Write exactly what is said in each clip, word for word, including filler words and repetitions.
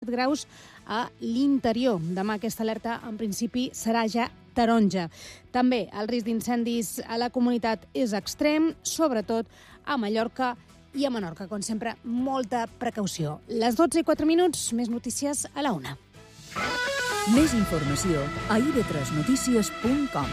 graus a l'interior. Demà aquesta alerta, en principi, serà ja taronja. També el risc d'incendis a la comunitat és extrem, sobretot a Mallorca i a Menorca. Com sempre, molta precaució. Les dotze i quatre minuts, més notícies a la una. Més informació a i ve tres notícies punt com.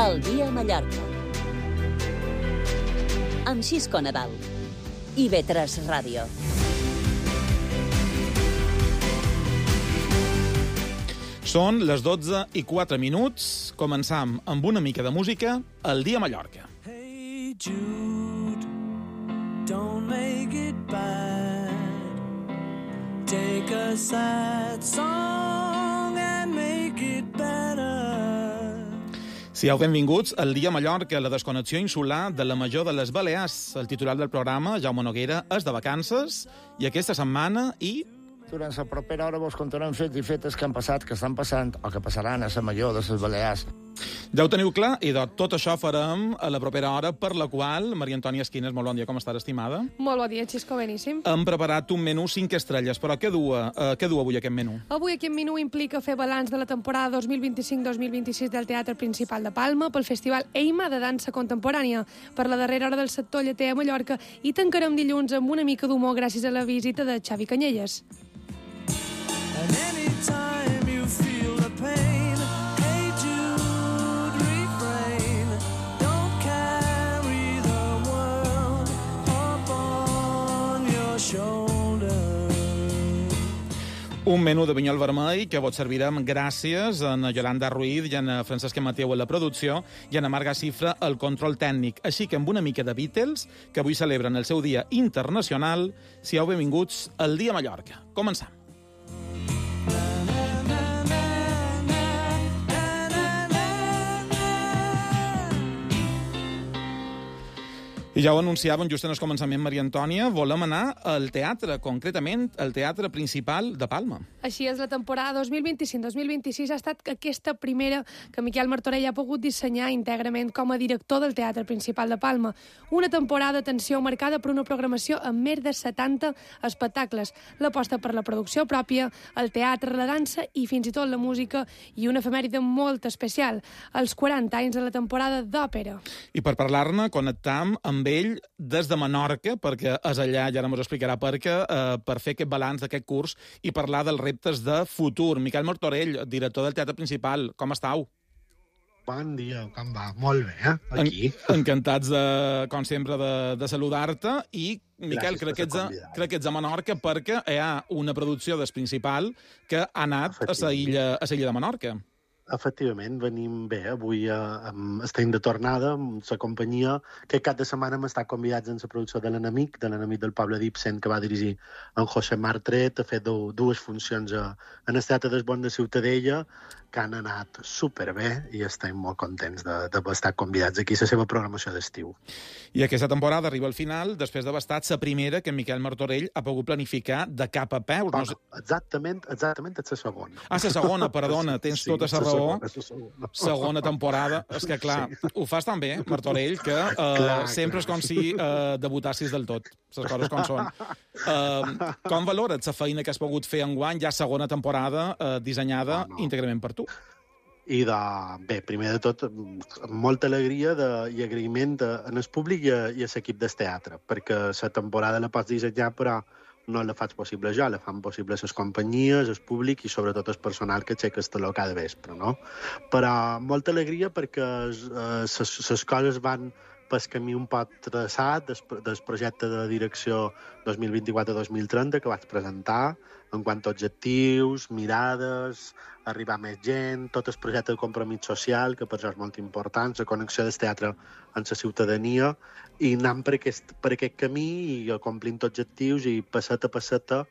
El dia a Mallorca. Amb Xisco Nadal. i ve tres Ràdio. Són les dotze i quatre minuts. Començam amb una mica de música. El dia a Mallorca. Hey Jude, don't make it bad. Take a sad song and make it better. Siau benvinguts al dia a Mallorca, la desconnexió insular de la major de les Balears. El titular del programa, Jaume Noguera, és de vacances i aquesta setmana i... Durant la propera hora vos contarem fets i fetes que han passat, que estan passant o que passaran a la major de les Balears. Ja ho teniu clar, i de tot això farem a la propera hora, per la qual, Maria Antònia Esquines, molt bon dia, com estàs, estimada? Molt bon dia, Xisco, beníssim. Hem preparat un menú cinc estrelles, però què du, uh, què du avui aquest menú? Avui aquest menú implica fer balanç de la temporada dos mil vint-i-cinc dos mil vint-i-sis del Teatre Principal de Palma, pel Festival Eima de Dansa Contemporània, per la darrera hora del sector lleter a Mallorca, i tancarem dilluns amb una mica d'humor gràcies a la visita de Xavi Canyelles. And anytime you feel the pain, hey Jude, refrain. Don't carry the world upon your shoulder. Un menú de pinyol vermell que vos servirem gràcies a Yolanda Ruiz i a Francesc Mateu a la producció i a Marga Cifra al control tècnic. Així que amb una mica de Beatles, que avui celebren el seu dia internacional, siau benvinguts al dia a Mallorca. Començam. I ja ho anunciàvem just en el començament, Maria Antònia, volem anar al teatre, concretament al Teatre Principal de Palma. Així és, la temporada dos mil vint-i-cinc dos mil vint-i-sis ha estat aquesta primera que Miquel Martorell ha pogut dissenyar íntegrament com a director del Teatre Principal de Palma. Una temporada, atenció, marcada per una programació amb més de setanta espectacles, l'aposta per la producció pròpia, el teatre, la dansa i fins i tot la música, i una efemèride molt especial, els quaranta anys de la temporada d'òpera. I per parlar-ne, connectam amb ell des de Menorca, perquè és allà, ja ara ens explicarà per què, eh, per fer aquest balanç d'aquest curs i parlar dels reptes de futur. Miquel Martorell, director del Teatre Principal, com estàu? Bon dia, com va? Molt bé, eh? Aquí. En, encantats, de, com sempre, de, de saludar-te. I, Miquel, Gràcies crec que, ets a, crec que ets a Menorca perquè hi ha una producció del Principal que ha anat a la illa, a la illa de Menorca. Efectivament, venim bé. Avui eh, estem de tornada amb la companyia que cap de setmana hem estat convidats en la producció de l'Enemic, de l'Enemic del poble d'Ibsen, que va dirigir en José Martret, ha fet dues funcions a, en el Teatre del Bon de Ciutadella, que han anat superbé i estem molt contents d'haver estat convidats aquí a la seva programació d'estiu. I aquesta temporada arriba al final després d'haver estat la primera que Miquel Martorell ha pogut planificar de cap a peus. Bueno, no sé... Exactament, exactament és la segona. Ah, la segona, perdona, tens sí, tota la raó. Segona, segona. segona temporada. És que, clar, sí. Ho fas tan bé, Martorell, que uh, clar, sempre clar. És com si uh, debutassis del tot. Les coses com són. Uh, com valores la feina que has pogut fer enguany, ja segona temporada uh, dissenyada no, no. íntegrament per tu? I de, bé, primer de tot, molta alegria de, i agraïment de, en el públic i a, i a l'equip del teatre, perquè la temporada la pots dissenyar, però no la faig possible jo, la fan possible les companyies, el públic i sobretot el personal que aixeca el taló cada vespre, no? Però molta alegria perquè les coses van pel camí un poc traçat des, del projecte de direcció dos mil vint-i-quatre dos mil trenta que vaig presentar en quant a objectius, mirades, arribar a més gent, tot el projecte de compromís social, que per això és molt important, la connexió del teatre amb la ciutadania, i anant per aquest, per aquest camí i complint objectius i passeta a passeta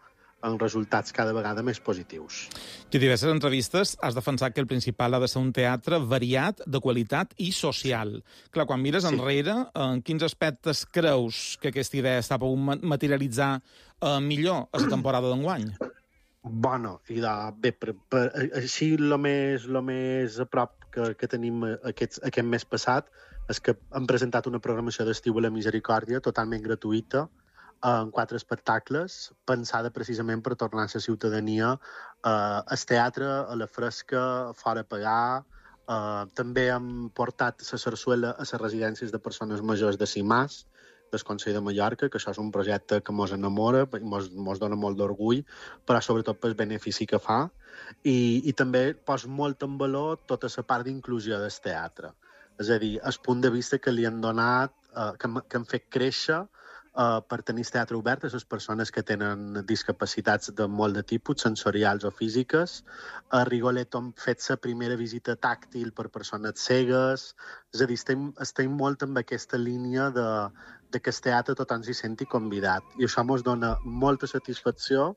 amb resultats cada vegada més positius. I en diverses entrevistes has defensat que el Principal ha de ser un teatre variat, de qualitat i social. Clar, quan mires Sí. enrere, en quins aspectes creus que aquesta idea s'ha pogut ma- materialitzar eh, millor a la temporada d'enguany? Bueno, i de, bé, per, per, així el més, lo més a prop que, que tenim aquest, aquest mes passat és que hem presentat una programació d'estiu a la Misericòrdia totalment gratuïta, en quatre espectacles, pensada precisament per tornar a la ciutadania eh, al teatre, a la fresca, fora a pagar. Eh, també hem portat la sarsuela a les residències de persones majors de Simàs, del Consell de Mallorca, que això és un projecte que mos enamora i mos, mos dona molt d'orgull, però sobretot pel benefici que fa. I, i també posa molt en valor tota la part d'inclusió del teatre. És a dir, el punt de vista que li han donat, eh, que, hem- que han fet créixer Uh, per tenir el teatre obert a les persones que tenen discapacitats de molt de tipus, sensorials o físiques. A Rigoletto hem fet la primera visita tàctil per persones cegues. És a dir, estem, estem molt amb aquesta línia de, de que el teatre tothom s'hi senti convidat. I això ens dona molta satisfacció,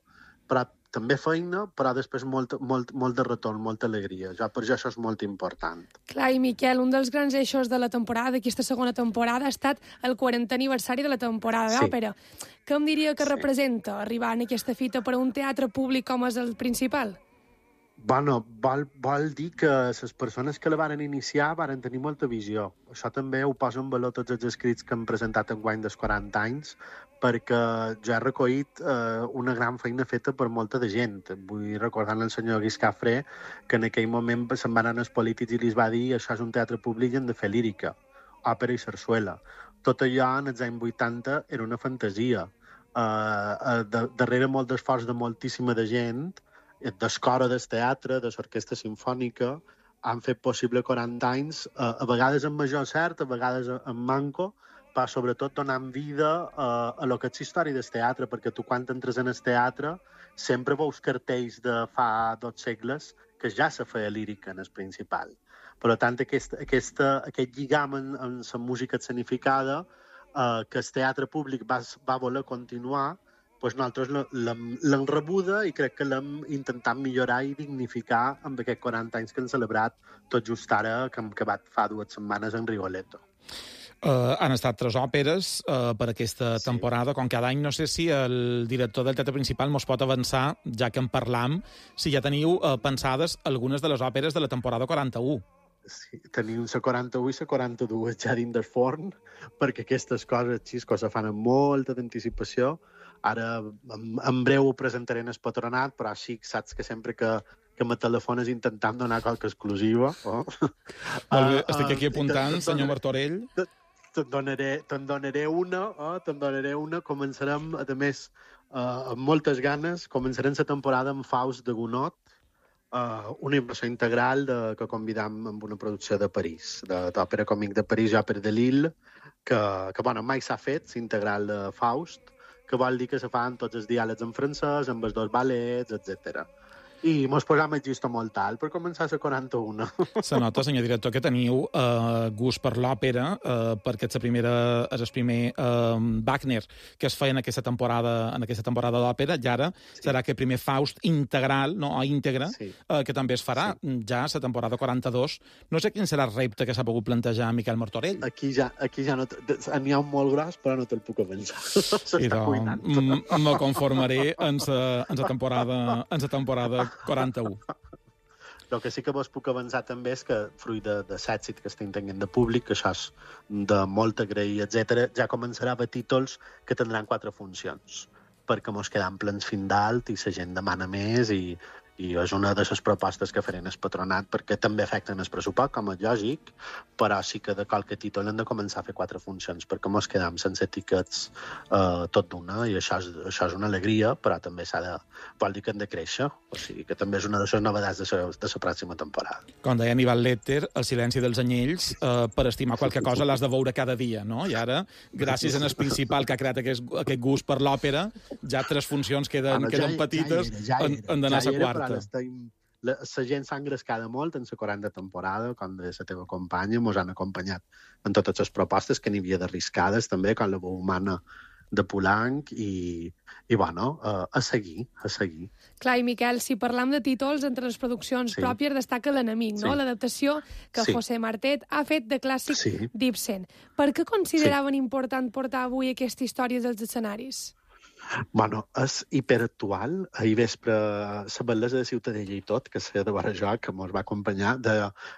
però també feina, però després molt, molt, molt de retorn, molta alegria. Ja, per això això és molt important. Clar, i Miquel, un dels grans eixos de la temporada, d'aquesta segona temporada, ha estat el quarantè aniversari de la temporada Sí. d'òpera. Què em diria que Sí. representa arribar en aquesta fita per a un teatre públic com és el Principal? Bueno, vol, vol dir que les persones que la varen iniciar varen tenir molta visió. Això també ho poso en valor tots els escrits que hem presentat enguany dels quaranta anys, perquè jo he recollit eh, una gran feina feta per molta de gent. Vull recordar el senyor Guiscafré, que en aquell moment se'n van anar els polítics i li va dir això és un teatre públic i hem de fer lírica, òpera i sarsuela. Tot allò en els anys vuitanta era una fantasia. Uh, de, darrere molt d'esforç de moltíssima de gent, d'escora del teatre, de l'orquestra sinfònica, han fet possible quaranta anys, uh, a vegades amb major cert, a vegades amb manco, però sobretot donant vida uh, a lo que és la història del teatre, perquè tu quan entres en el teatre sempre veus cartells de fa dos segles que ja se feia lírica en el Principal. Per tant, aquesta, aquesta, aquest lligam en, en la música escenificada, Uh, que el teatre públic va, va voler continuar, doncs nosaltres l'hem l'hem rebuda i crec que l'hem intentat millorar i dignificar amb aquests quaranta anys que hem celebrat tot just ara, que hem acabat fa dues setmanes en Rigoletto. Uh, han estat tres òperes uh, per aquesta Sí. temporada, com cada any. No sé si el director del Teatre Principal mos pot avançar, ja que en parlam, si ja teniu uh, pensades algunes de les òperes de la temporada quaranta-u. Sí, tenim la quaranta-u i la quaranta-dos ja dins del forn, perquè aquestes coses, xisco, se fan amb molta anticipació. Ara, en, en breu ho presentaré en el patronat, però sí, saps que sempre que, que me telefones intentant donar qualque exclusiva. Oh? Molt bé, Uh, estic aquí uh, apuntant, te'n- senyor te'n- Martorell. Te'n donaré, te'n donaré una, oh? te'n donaré una. Començarem, a més, uh, amb moltes ganes, començarem la temporada amb Faust de Gounod, uh, una inversió integral de, que convidam amb una producció de París, de- d'òpera còmic de París i òpera de Lille, que, que bueno, mai s'ha fet, l'integral de Faust, que vol dir que se fan tots els diàlegs en francès, amb els dos ballets, etcètera. I mos posam el llistó molt alt per començar la quaranta-una. Se nota, senyor director, que teniu uh, gust per l'òpera, uh, perquè és, la primera, és el primer uh, Wagner que es feia en aquesta temporada en aquesta temporada d'òpera, i ara sí. serà aquest primer Faust integral, no, o íntegre, Sí. uh, que també es farà sí. ja a la temporada quaranta-dos. No sé quin serà el repte que s'ha pogut plantejar Miquel Martorell. Aquí ja, aquí ja no... N'hi ha un molt gros, però no te'l puc avançar. S'està cuinant. m- me conformaré en la en la temporada, en la temporada quaranta-u. El que sí que vos puc avançar també és que, fruit de, de l'èxit que estem tenint de públic, que això és de molt agrair, etcètera, ja començarà a haver títols que tindran quatre funcions, perquè mos quedam plens fin d'alt i la gent demana més i, i és una de les propostes que farem el patronat, perquè també afecten el pressupost, com és lògic, però sí que de qualque títol hem de començar a fer quatre funcions, perquè mos quedam sense tiquets eh, tot d'una, i això és, això és una alegria, però també s'ha de... vol dir que hem de créixer, o sigui que també és una de les novetats de la, de la pròxima temporada. Com deia Aníbal Lecter, el silenci dels anyells, eh, per estimar qualque cosa l'has de veure cada dia, no? I ara, gràcies al Principal que ha creat aquest, aquest gust per l'òpera, ja tres funcions queden, Bueno, queden petites, ja, ja, han, han d'anar a la quarta. Estem, la, la gent s'ha engrescada molt en la quaranta temporada, com de la teva companya, mos han acompanyat en totes les propostes, que n'hi havia d'arriscades també, com la veu humana de Poulenc i, i bueno, a, a seguir, a seguir. Clar, i Miquel, si parlam de títols, entre les produccions Sí. pròpies destaca L'enemic, no? Sí. L'adaptació que Sí. José Martet ha fet de clàssic Sí. d'Ibsen. Per què consideraven important portar avui aquesta història dels escenaris? Bueno, és hiperactual. Ahir vespre, la bellesa de Ciutadella i tot, que sé de veure jo, que ens va acompanyar, de...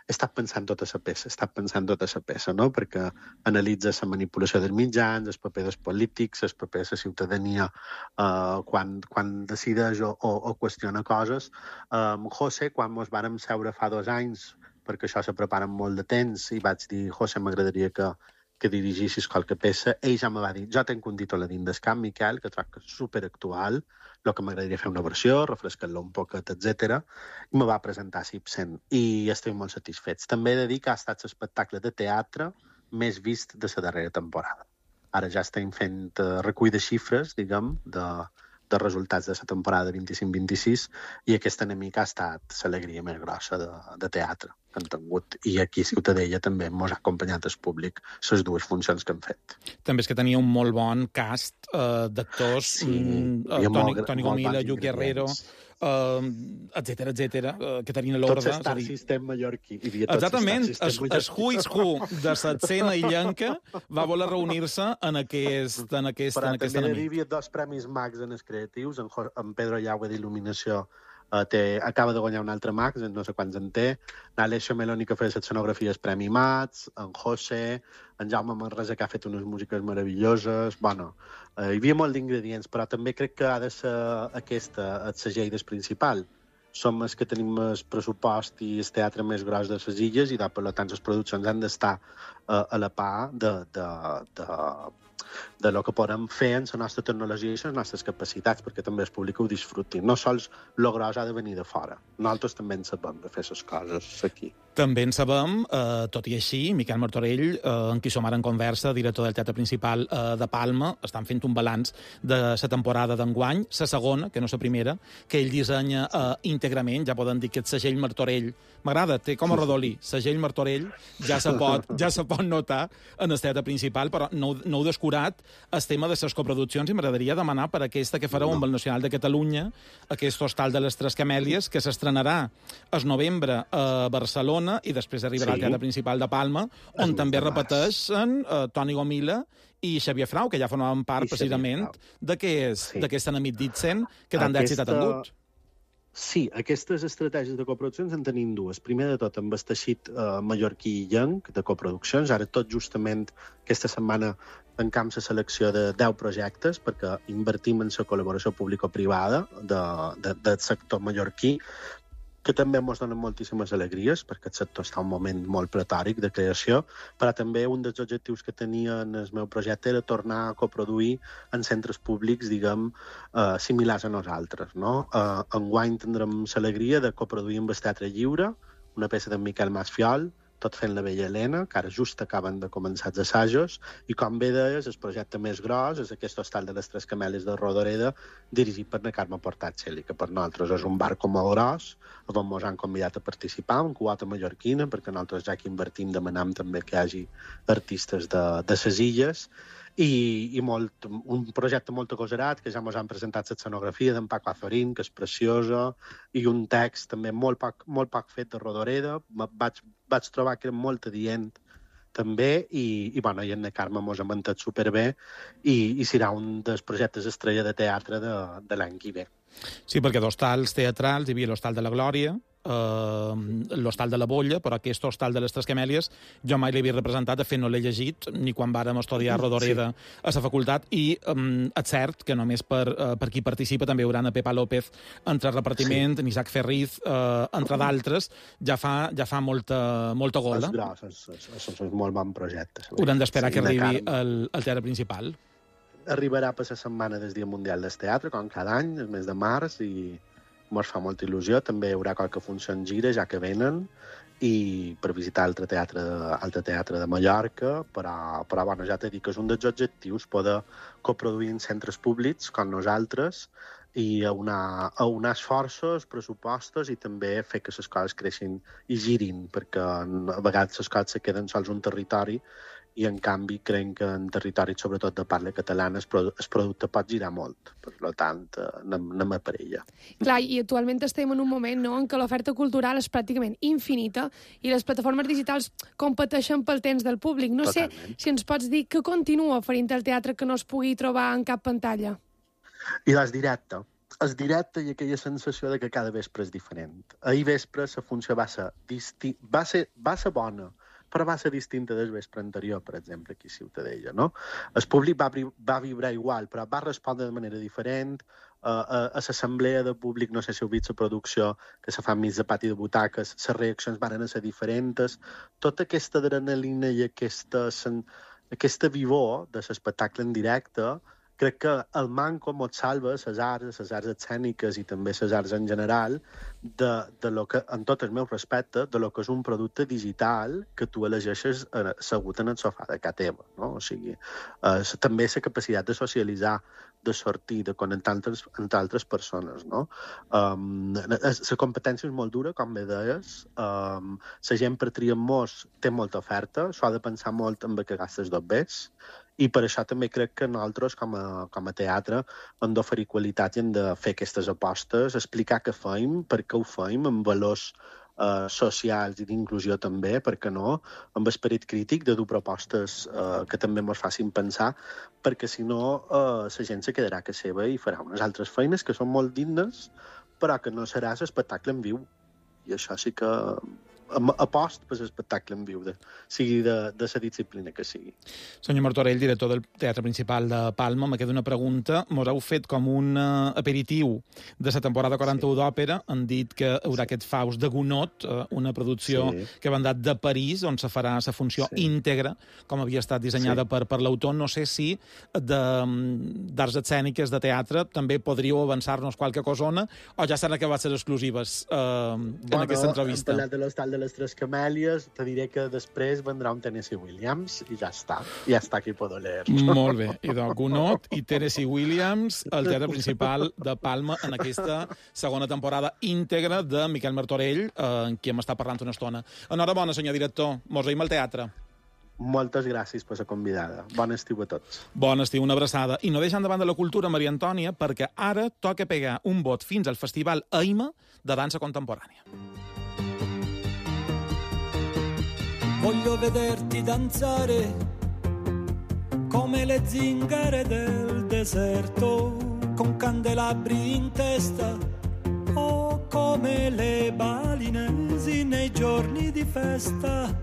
he estat pensant tota la peça, he estat pensant tota la peça, no? Perquè analitza la manipulació dels mitjans, el paper dels polítics, el paper de la ciutadania, eh, quan, quan decideix o, o, o qüestiona coses. Eh, José, quan ens vàrem seure fa dos anys, perquè això se prepara amb molt de temps, i vaig dir, José, m'agradaria que que dirigissis qualque peça, ell ja me va dir, jo tenc un títol a dins del camp, Miquel, que troc que és superactual, el que m'agradaria fer una versió, refrescar-lo un poquet, etcètera, i me va presentar Ibsen, i estic molt satisfets. També he de dir que ha estat l'espectacle de teatre més vist de la darrera temporada. Ara ja estem fent uh, recull de xifres, diguem, de, de resultats de la temporada vint-i-cinc vint-i-sis, i aquest enemic ha estat l'alegria més grossa de, de teatre que han tingut. I aquí a Ciutadella també ens ha acompanyat el públic les dues funcions que han fet. També és que tenia un molt bon cast eh, d'actors, Sí, mm, hi ha Toni, molt- Toni molt Gomila, bons Lluc Guerrero, ingredients. eh, etcètera, etcètera, eh, Caterina Tot Lorda. l'Star és a dir, System mallorquí. Hi havia tot Exactament, l'Star es, System es who is who de l'escena illenca va voler reunir-se en aquest, en aquest, Però en aquest també hi enemic. havia dos premis Max en els creatius, en, Jo- en Pedro Llaue d'il·luminació eh, té, acaba de guanyar un altre Max, no sé quants en té, l'Alessio Meloni que feia l'escenografia és Premi Mats, en José, en Jaume Manresa que ha fet unes músiques meravelloses, bueno, eh, hi havia molt d'ingredients, però també crec que ha de ser aquesta el segell del principal. Som els que tenim el pressupost i el teatre més gros de les illes i, per tant, les produccions han d'estar eh, a la par de, de, de, de lo que podem fer en la nostra tecnologia i les nostres capacitats, perquè també el públic ho disfruti. No sols lo gros ha de venir de fora. Nosaltres també en sabem de fer les coses aquí. També en sabem, eh, tot i així, Miquel Martorell, eh, en qui som ara en conversa, director del Teatre Principal eh, de Palma, estan fent un balanç de la temporada d'enguany, la segona, que no la primera, que ell dissenya eh, íntegrament, ja poden dir que el segell Martorell, m'agrada, té com a rodolí, segell Martorell, ja se pot, ja se pot notar en el Teatre Principal, però no, no heu descurat el tema de les coproduccions i m'agradaria demanar per aquesta que fareu amb el Nacional de Catalunya, aquest Hostal de les Tres Camèlies, que s'estrenarà el novembre a Barcelona i després arribarà Sí. al Teatre Principal de Palma, on És també un temàs. repeteixen eh, Toni Gomila i Xavier Frau, que ja formaven part I Xavier precisament Frau. d'aquest Sí. d'aquest enemic d'Ibsen que tant d'èxit ha Aquesta- tingut. Sí, aquestes estratègies de coproduccions en tenim dues. Primer de tot, amb el teixit eh, mallorquí i llenc de coproduccions. Ara tot justament aquesta setmana tancam la selecció de deu projectes perquè invertim en la col·laboració público-privada de, de, del sector mallorquí, que també ens donen moltíssimes alegries, perquè el sector està en un moment molt pretòric de creació, però també un dels objectius que tenia en el meu projecte era tornar a coproduir en centres públics, diguem, eh, similars a nosaltres. No? Eh, enguany tindrem l'alegria de coproduir amb el Teatre Lliure, una peça d'en Miquel Masfiol, tot fent la Bella Helena, que ara just acaben de començar els assajos, i com bé deies, el projecte més gros és aquest Hostal de les Tres Camèlies de Rodoreda, dirigit per na Carme Portat-Xeli, que per nosaltres és un barco molt gros, on ens han convidat a participar, amb quota mallorquina, perquè nosaltres ja que invertim demanam també que hi hagi artistes de, de ses illes, i, i molt, un projecte molt agosarat, que ja ens han presentat l'escenografia d'en Paco Azorín, que és preciosa, i un text també molt poc, molt poc fet de Rodoreda. Vaig, vaig trobar que era molt adient també, i, i, bueno, i en Carme mos ha mentat superbé, i, i serà un dels projectes estrella de teatre de, de l'any que ve. Sí, perquè d'hostals teatrals hi havia l'Hostal de la Glòria, eh, l'Hostal de la Bolla, però aquest Hostal de les Tres Camèlies jo mai l'havia representat, de fet no l'he llegit, ni quan vàrem estudiar Rodoreda sí. a la facultat, i um, és cert que només per, uh, per qui participa també hi haurà a Pepa López entre repartiment, sí. en Isaac Ferriz, uh, entre d'altres, ja fa, ja fa molta, molta gola. És gros, és, és, és, és un molt bon projecte. Haurem d'esperar sí, que arribi Carme. al, al teatre principal. Arribarà per la setmana del Dia Mundial del Teatre, com cada any, el mes de març, i ens fa molta il·lusió. També hi haurà qualque funció en gira, ja que venen, i per visitar altre teatre, altre teatre de Mallorca, però, però bueno, ja t'he dit que és un dels objectius poder coproduir en centres públics com nosaltres i aunar, aunar esforços, pressupostos i també fer que les coses creixin i girin, perquè a vegades les coses se queden sols un territori i en canvi creiem que en territoris, sobretot de parla catalana, el, produ el producte pot girar molt. Per tant, anem, anem a per ella. Clar, i actualment estem en un moment, no?, en què l'oferta cultural és pràcticament infinita i les plataformes digitals competeixen pel temps del públic. No Totalment. sé si ens pots dir que continua oferint el teatre que no es pugui trobar en cap pantalla. I és directe. És directe i aquella sensació de que cada vespre és diferent. Ahir vespre la funció va ser, va ser, va ser bona, però va ser distinta del vespre anterior, per exemple, aquí a Ciutadella, no? El públic va, va vibrar igual, però va respondre de manera diferent. Uh, a a l'assemblea de públic, no sé si heu vist la producció, que se fa mig de pati de butaques, les reaccions van ser diferents. Tota aquesta adrenalina i aquesta, aquesta vivor de l'espectacle en directe, crec que el manco mos salva les arts, les arts escèniques i també les arts en general, de, de lo que, en tot el meu respecte, de lo que és un producte digital que tu elegeixes assegut en el sofà de casa teva, no? O sigui, eh, també la capacitat de socialitzar, de sortir, de connectar entre, entre altres persones, no? Um, la competència és molt dura, com bé deies. Um, la gent per triar molts té molta oferta, s'ho ha de pensar molt en què gastes dos bes, i per això també crec que nosaltres, com a, com a teatre, hem d'oferir qualitat i hem de fer aquestes apostes, explicar què fem, per què ho fem, amb valors eh, socials i d'inclusió també, per què no, amb esperit crític de dur propostes eh, que també ens facin pensar, perquè si no eh, la gent se quedarà a casa seva i farà unes altres feines que són molt dignes, però que no serà l'espectacle en viu. I això sí que apost per l'espectacle en viu, de, sigui de, de la disciplina que sigui. Senyor Martorell, director del Teatre Principal de Palma, me queda una pregunta. Mos heu fet com un uh, aperitiu de la temporada quaranta-u sí. d'òpera. Han dit que hi haurà aquest Faust de Gounod, uh, una producció sí. que va anat de París, on se farà la funció sí. íntegra, com havia estat dissenyada sí. per, per l'autor. No sé si d'arts escèniques de teatre també podríeu avançar-nos qualque cosona, o ja s'han acabat les exclusives uh, en bueno, aquesta entrevista. Hem parlat de l'Hostal de les Tres Camèlies, te diré que després vendrà un Tennessee Williams i ja està. Ja està aquí puedo leer. Molt bé. I doncs Gounod i Tennessee Williams, el teatre principal de Palma en aquesta segona temporada íntegra de Miquel Martorell, eh, en qui hem estat parlant una estona. Enhorabona, senyor director. Mos veiem al teatre. Moltes gràcies per la convidada. Bon estiu a tots. Bon estiu, una abraçada. I no deixant de banda la cultura, Maria Antònia, perquè ara toca pegar un bot fins al Festival Aima de dansa contemporània. Voglio vederti danzare come le zingare del deserto, con candelabri in testa o come le balinesi nei giorni di festa.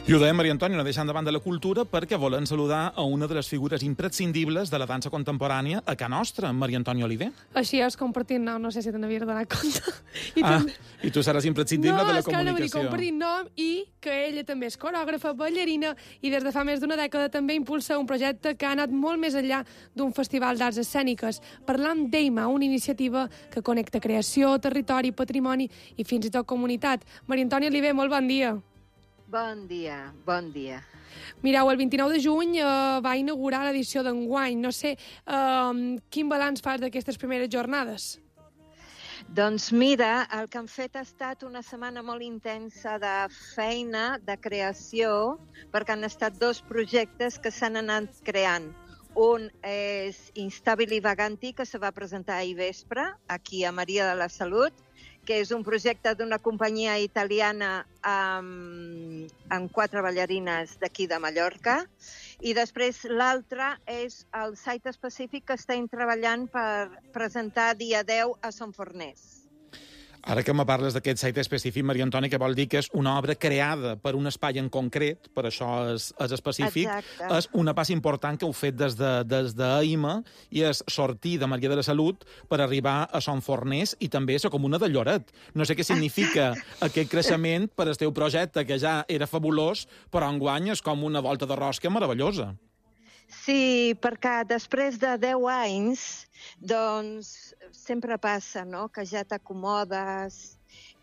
I ho deia Maria Antònia, no deixant de banda la cultura, perquè volen saludar a una de les figures imprescindibles de la dansa contemporània a ca nostra, Maria Antònia Oliver. Així és, compartint nom, no sé si te n'havies donat compte. I ah, també... i tu seràs imprescindible no, de la comunicació. No, és que ara compartint nom i que ella també és corògrafa, ballarina i des de fa més d'una dècada també impulsa un projecte que ha anat molt més enllà d'un festival d'arts escèniques. Parlam d'Eima, una iniciativa que connecta creació, territori, patrimoni i fins i tot comunitat. Maria Antònia Oliver, molt bon dia. Bon dia, bon dia. Mireu, el vint-i-nou de juny eh, va inaugurar l'edició d'enguany. No sé, eh, quin balanç fas d'aquestes primeres jornades? Doncs mira, el que han fet ha estat una setmana molt intensa de feina, de creació, perquè han estat dos projectes que s'han anat creant. Un és Instabili Vaganti, que se va presentar ahir vespre, aquí a Maria de la Salut, que és un projecte d'una companyia italiana amb, amb quatre ballarines d'aquí de Mallorca. I després l'altre és el site específic que estem treballant per presentar dia deu a Sant Fornés. Ara que me parles d'aquest site específic, Maria Antònia, que vol dir que és una obra creada per un espai en concret, per això és, és específic, Exacte. És una passa important que heu fet des de, des d'Aima i és sortir de Maria de la Salut per arribar a Sant Fornés i també a la comuna de Lloret. No sé què significa aquest creixement per al teu projecte, que ja era fabulós, però enguany és com una volta de rosca meravellosa. Sí, perquè després de deu anys, doncs, sempre passa, no?, que ja t'acomodes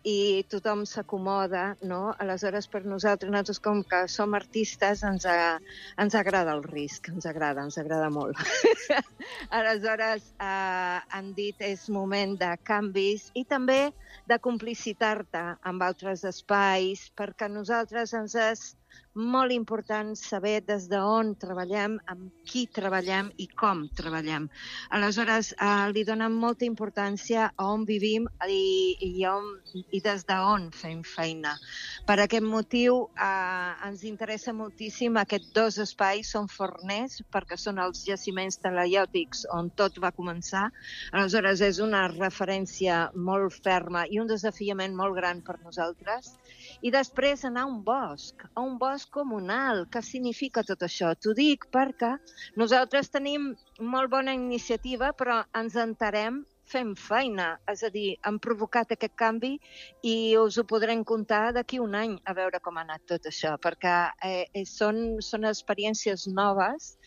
i tothom s'acomoda, no? Aleshores, per nosaltres, nosaltres com que som artistes, ens, a, ens agrada el risc, ens agrada, ens agrada molt. Aleshores, eh, han dit és moment de canvis i també de complicitar-te amb altres espais, perquè a nosaltres ens és molt important saber des d'on treballem, amb qui treballem i com treballem. Aleshores, eh, li donem molta importància a on vivim i, i, on, i des d'on fem feina. Per aquest motiu, eh, ens interessa moltíssim aquests dos espais, són forners, perquè són els jaciments talaiòtics on tot va començar. Aleshores, és una referència molt ferma i un desafiament molt gran per nosaltres. I després anar a un bosc, a un bosc comunal. Què significa tot això? T'ho dic perquè nosaltres tenim molt bona iniciativa, però ens entarem fem feina. És a dir, hem provocat aquest canvi i us ho podrem contar d'aquí un any a veure com ha anat tot això, perquè eh, són, són experiències noves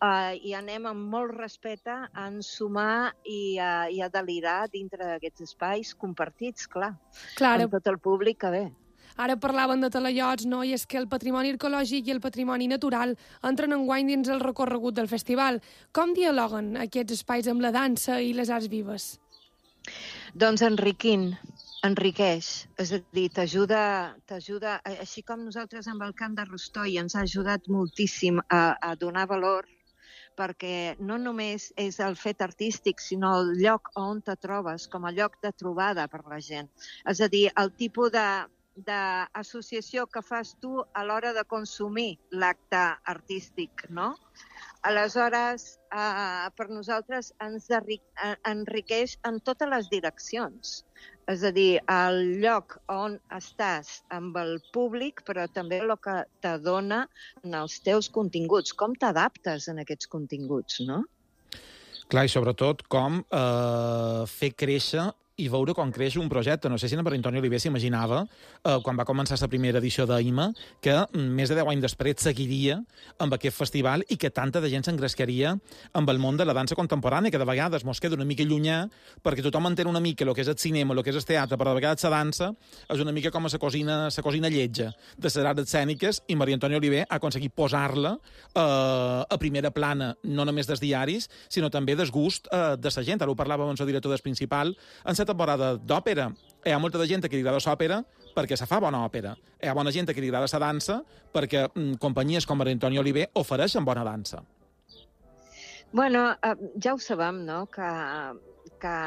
eh, i anem amb molt respecte a ensumar i a, i a delirar dintre d'aquests espais compartits, clar, Clar. amb tot el públic que ve. Ara parlaven de talaiots, no? I és que el patrimoni arqueològic i el patrimoni natural entren enguany dins el recorregut del festival. Com dialoguen aquests espais amb la dansa i les arts vives? Doncs enriquint, enriqueix. És a dir, t'ajuda, t'ajuda, així com nosaltres amb el Camp de Rostoi ens ha ajudat moltíssim a, a donar valor, perquè no només és el fet artístic, sinó el lloc on te trobes, com a lloc de trobada per la gent. És a dir, el tipus de d'associació que fas tu a l'hora de consumir l'acte artístic, no? Aleshores, eh, per nosaltres ens enriqueix en totes les direccions. És a dir, el lloc on estàs amb el públic, però també el que te dona en els teus continguts. Com t'adaptes en aquests continguts, no? Clar, i sobretot com eh, fer créixer i veure com creix un projecte. No sé si en Maria Antònia Oliver s'imaginava, eh, quan va començar la primera edició d'A I M A, que més de deu anys després seguiria amb aquest festival i que tanta de gent s'engrescaria amb el món de la dansa contemporània, que de vegades mos queda una mica llunyà, perquè tothom entén una mica el que és el cinema, el que és el teatre, però de vegades la dansa és una mica com la cosina, la cosina lletja de les arts escèniques, i Maria Antònia Oliver ha aconseguit posar-la eh, a primera plana, no només dels diaris, sinó també del gust eh, de la gent. Ara ho parlàvem amb el director del principal, en la temporada d'òpera. Hi ha molta de gent que li agrada l'òpera perquè se fa bona òpera. Hi ha bona gent que li agrada la dansa perquè mm, companyies com Maria Antònia Oliver ofereixen bona dansa. Bueno, eh, ja ho sabem, no?, que, que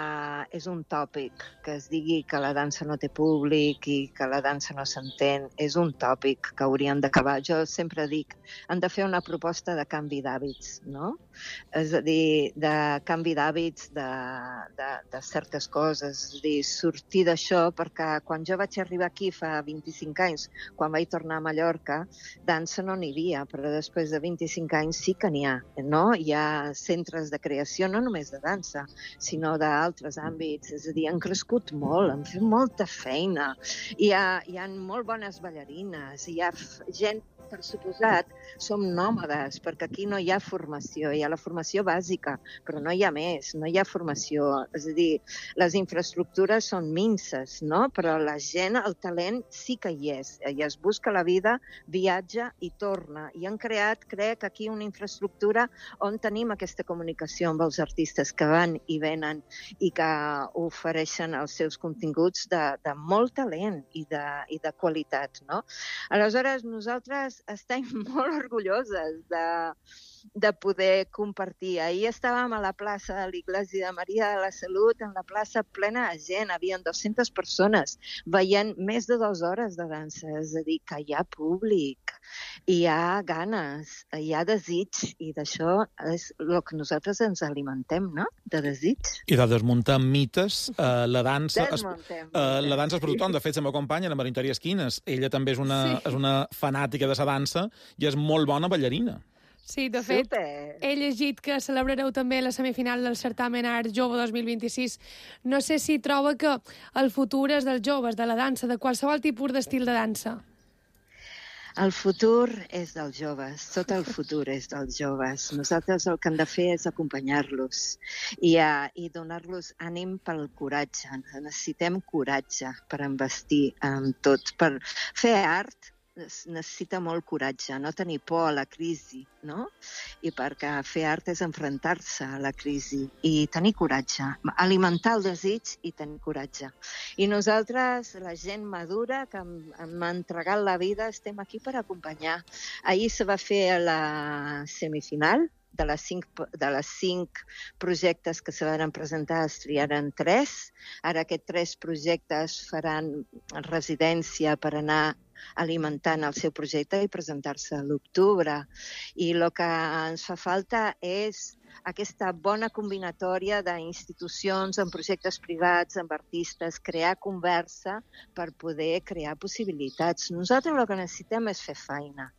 és un tòpic que es digui que la dansa no té públic i que la dansa no s'entén. És un tòpic que haurien d'acabar. Jo sempre dic, han de fer una proposta de canvi d'hàbits, no? És a dir, de canvi d'hàbits de, de, de certes coses. És a dir, sortir d'això, perquè quan jo vaig arribar aquí fa vint-i-cinc anys, quan vaig tornar a Mallorca, dansa no n'hi havia, però després de vint-i-cinc anys sí que n'hi ha, no? Hi ha centres de creació, no només de dansa, sinó d'altres àmbits. És a dir, han crescut molt, han fet molta feina. Hi ha, hi ha molt bones ballarines, hi ha gent, per suposat, som nòmades, perquè aquí no hi ha formació, hi ha la formació bàsica, però no hi ha més, no hi ha formació. És a dir, les infraestructures són minces, no? Però la gent, el talent, sí que hi és. I es busca la vida, viatja i torna. I han creat, crec, aquí una infraestructura on tenim aquesta comunicació amb els artistes que van i venen i que ofereixen els seus continguts de, de molt talent i de, i de qualitat, no? Aleshores, nosaltres estem molt orgulloses de, de poder compartir. Ahir estàvem a la plaça de l'Església de Maria de la Salut, en la plaça plena de gent, havien dues-centes persones veient més de dues hores de dansa. És a dir, que hi ha públic, hi ha ganes, hi ha desig, i d'això és el que nosaltres ens alimentem, no?, de desig. I de desmuntar mites. Uh, la dansa és, Desmuntem. uh, la dansa és per tothom. De fet, la meva companya, la Maria Antònia Esquines, ella també és una, Sí. és una fanàtica de la dansa i és molt bona ballarina. Sí, de fet, Super. he llegit que celebrareu també la semifinal del certamen Art Jove dos mil vint-i-sis. No sé si troba que el futur és dels joves, de la dansa, de qualsevol tipus d'estil de dansa. El futur és dels joves, tot el futur és dels joves. Nosaltres el que hem de fer és acompanyar-los i, uh, i donar-los ànim pel coratge. Necessitem coratge per investir en tot, per fer art, es necessita molt coratge, no tenir por a la crisi, no? I perquè fer art és enfrontar-se a la crisi i tenir coratge, alimentar el desig i tenir coratge. I nosaltres, la gent madura que hem entregat la vida, estem aquí per acompanyar. Ahir se va fer la semifinal, de les cinc, de les cinc projectes que se van presentar es triaren tres. Ara aquests tres projectes faran residència per anar alimentant el seu projecte i presentar-se a l'octubre. I el que ens fa falta és aquesta bona combinatòria d'institucions, amb projectes privats, amb artistes, crear conversa per poder crear possibilitats. Nosaltres el que necessitem és fer feina.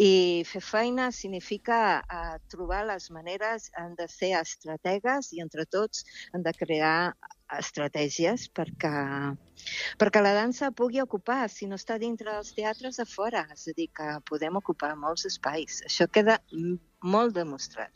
I fer feina significa eh, trobar les maneres, han de ser estrategues i entre tots han de crear estratègies perquè, perquè la dansa pugui ocupar, si no està dintre dels teatres, a fora. És a dir, que podem ocupar molts espais. Això queda molt demostrat.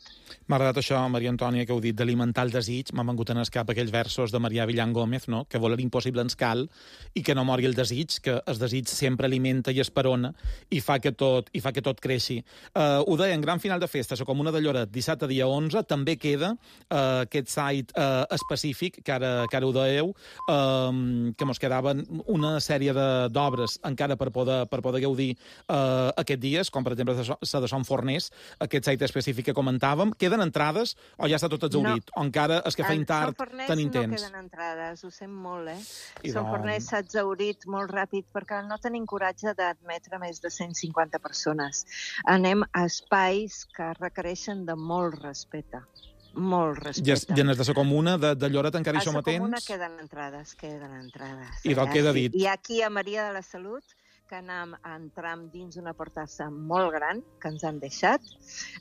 M'ha agradat això, Maria Antònia, que heu dit d'alimentar el desig. M'han vengut en el cap aquells versos de Marià Villan Gómez, no? Que voler l'impossible ens cal i que no mori el desig, que el desig sempre alimenta i esperona i fa que tot, i fa que tot creixi. Uh, ho deia, en gran final de festa, la Comuna de Lloret, dissabte dia onze, també queda uh, aquest site uh, específic, que ara, que ara ho dèieu, uh, que mos quedaven una sèrie d'obres encara per poder, per poder gaudir uh, aquests dies, com per exemple la de Son Forners, aquest site específic que comentàvem. Queden entrades o ja està tot exhaurit? No. O encara és que feim tard tenim temps? No queden entrades, ho sent molt, eh? I Son Forners s'ha exhaurit molt ràpid perquè no tenim coratge d'admetre més de cent cinquanta persones. Anem a espais que requereixen de molt respecte. Molt respecte. I en els de la Comuna de, de Lloret encara hi som atents? A la Comuna queden entrades, queden entrades. I del queda dit. I aquí a Maria de la Salut, que anem, entram dins una portassa molt gran que ens han deixat.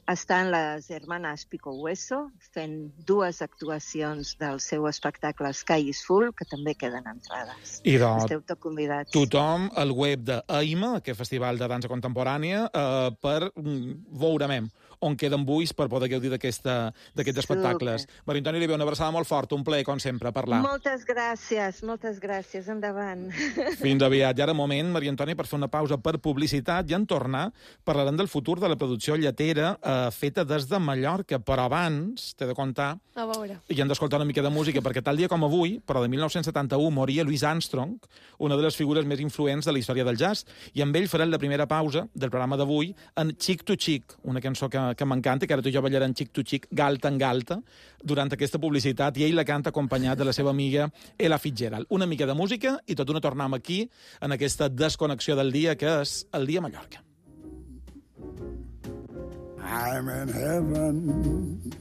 Estan les hermanes Pico Hueso fent dues actuacions del seu espectacle Sky is Full, que també queden entrades. I de... Esteu tot convidats. Tothom al web d'AIMA, aquest festival de dansa contemporània, eh, per veurem on queden buits per poder gaudir d'aquests espectacles. Maria Antònia Oliver, una abraçada molt forta, un plaer, com sempre, parlar. Moltes gràcies, moltes gràcies. Endavant. Fins aviat. I ara, moment, Maria Antònia, per fer una pausa per publicitat i en tornar, parlarem del futur de la producció lletera eh, feta des de Mallorca, però abans t'he de contar a veure. I hem d'escoltar una mica de música, perquè tal dia com avui, però de mil nou-cents setanta-u, moria Louis Armstrong, una de les figures més influents de la història del jazz, i amb ell farem la primera pausa del programa d'avui en Chick to Chick, una cançó que, que m'encanta, que ara tu i jo ballarem Chick to Chick, galta en galta, durant aquesta publicitat, i ell la canta acompanyat de la seva amiga Ella Fitzgerald. Una mica de música i tot una tornem aquí, en aquesta desconnexió del dia, que és el dia a Mallorca. I'm in heaven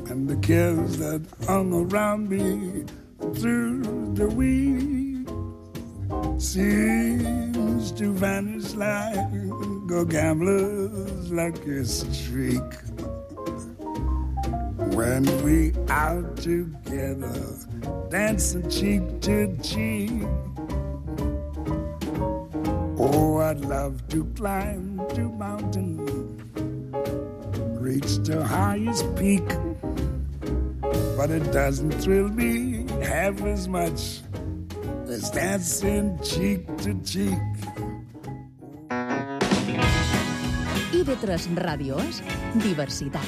and the kids that hung around me through the week seems to vanish like a gambler's lucky streak. When we out together, dancing cheek to cheek. Oh, I'd love to climb to mountain, reach the highest peak, but it doesn't thrill me half as much as dancing cheek to cheek. I V tres Ràdio és diversitat.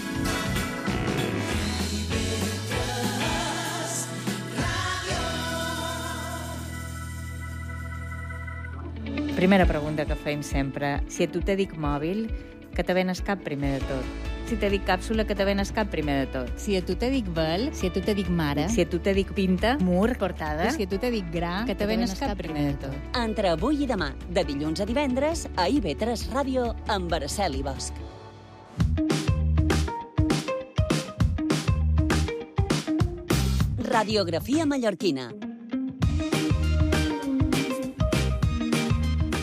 Primera pregunta que feim sempre. Si a tu te dic mòbil, que te ven el cap primer de tot. Si te dic càpsula, que te ven el cap primer de tot. Si a tu te dic vel, si a tu te dic mare. Si a tu te dic pinta, mur, portada. Si a tu te dic gra, que te ven el cap primer de tot. Entre avui i demà, de dilluns a divendres, a I V tres Ràdio, amb Araceli Bosch. Radiografia mallorquina.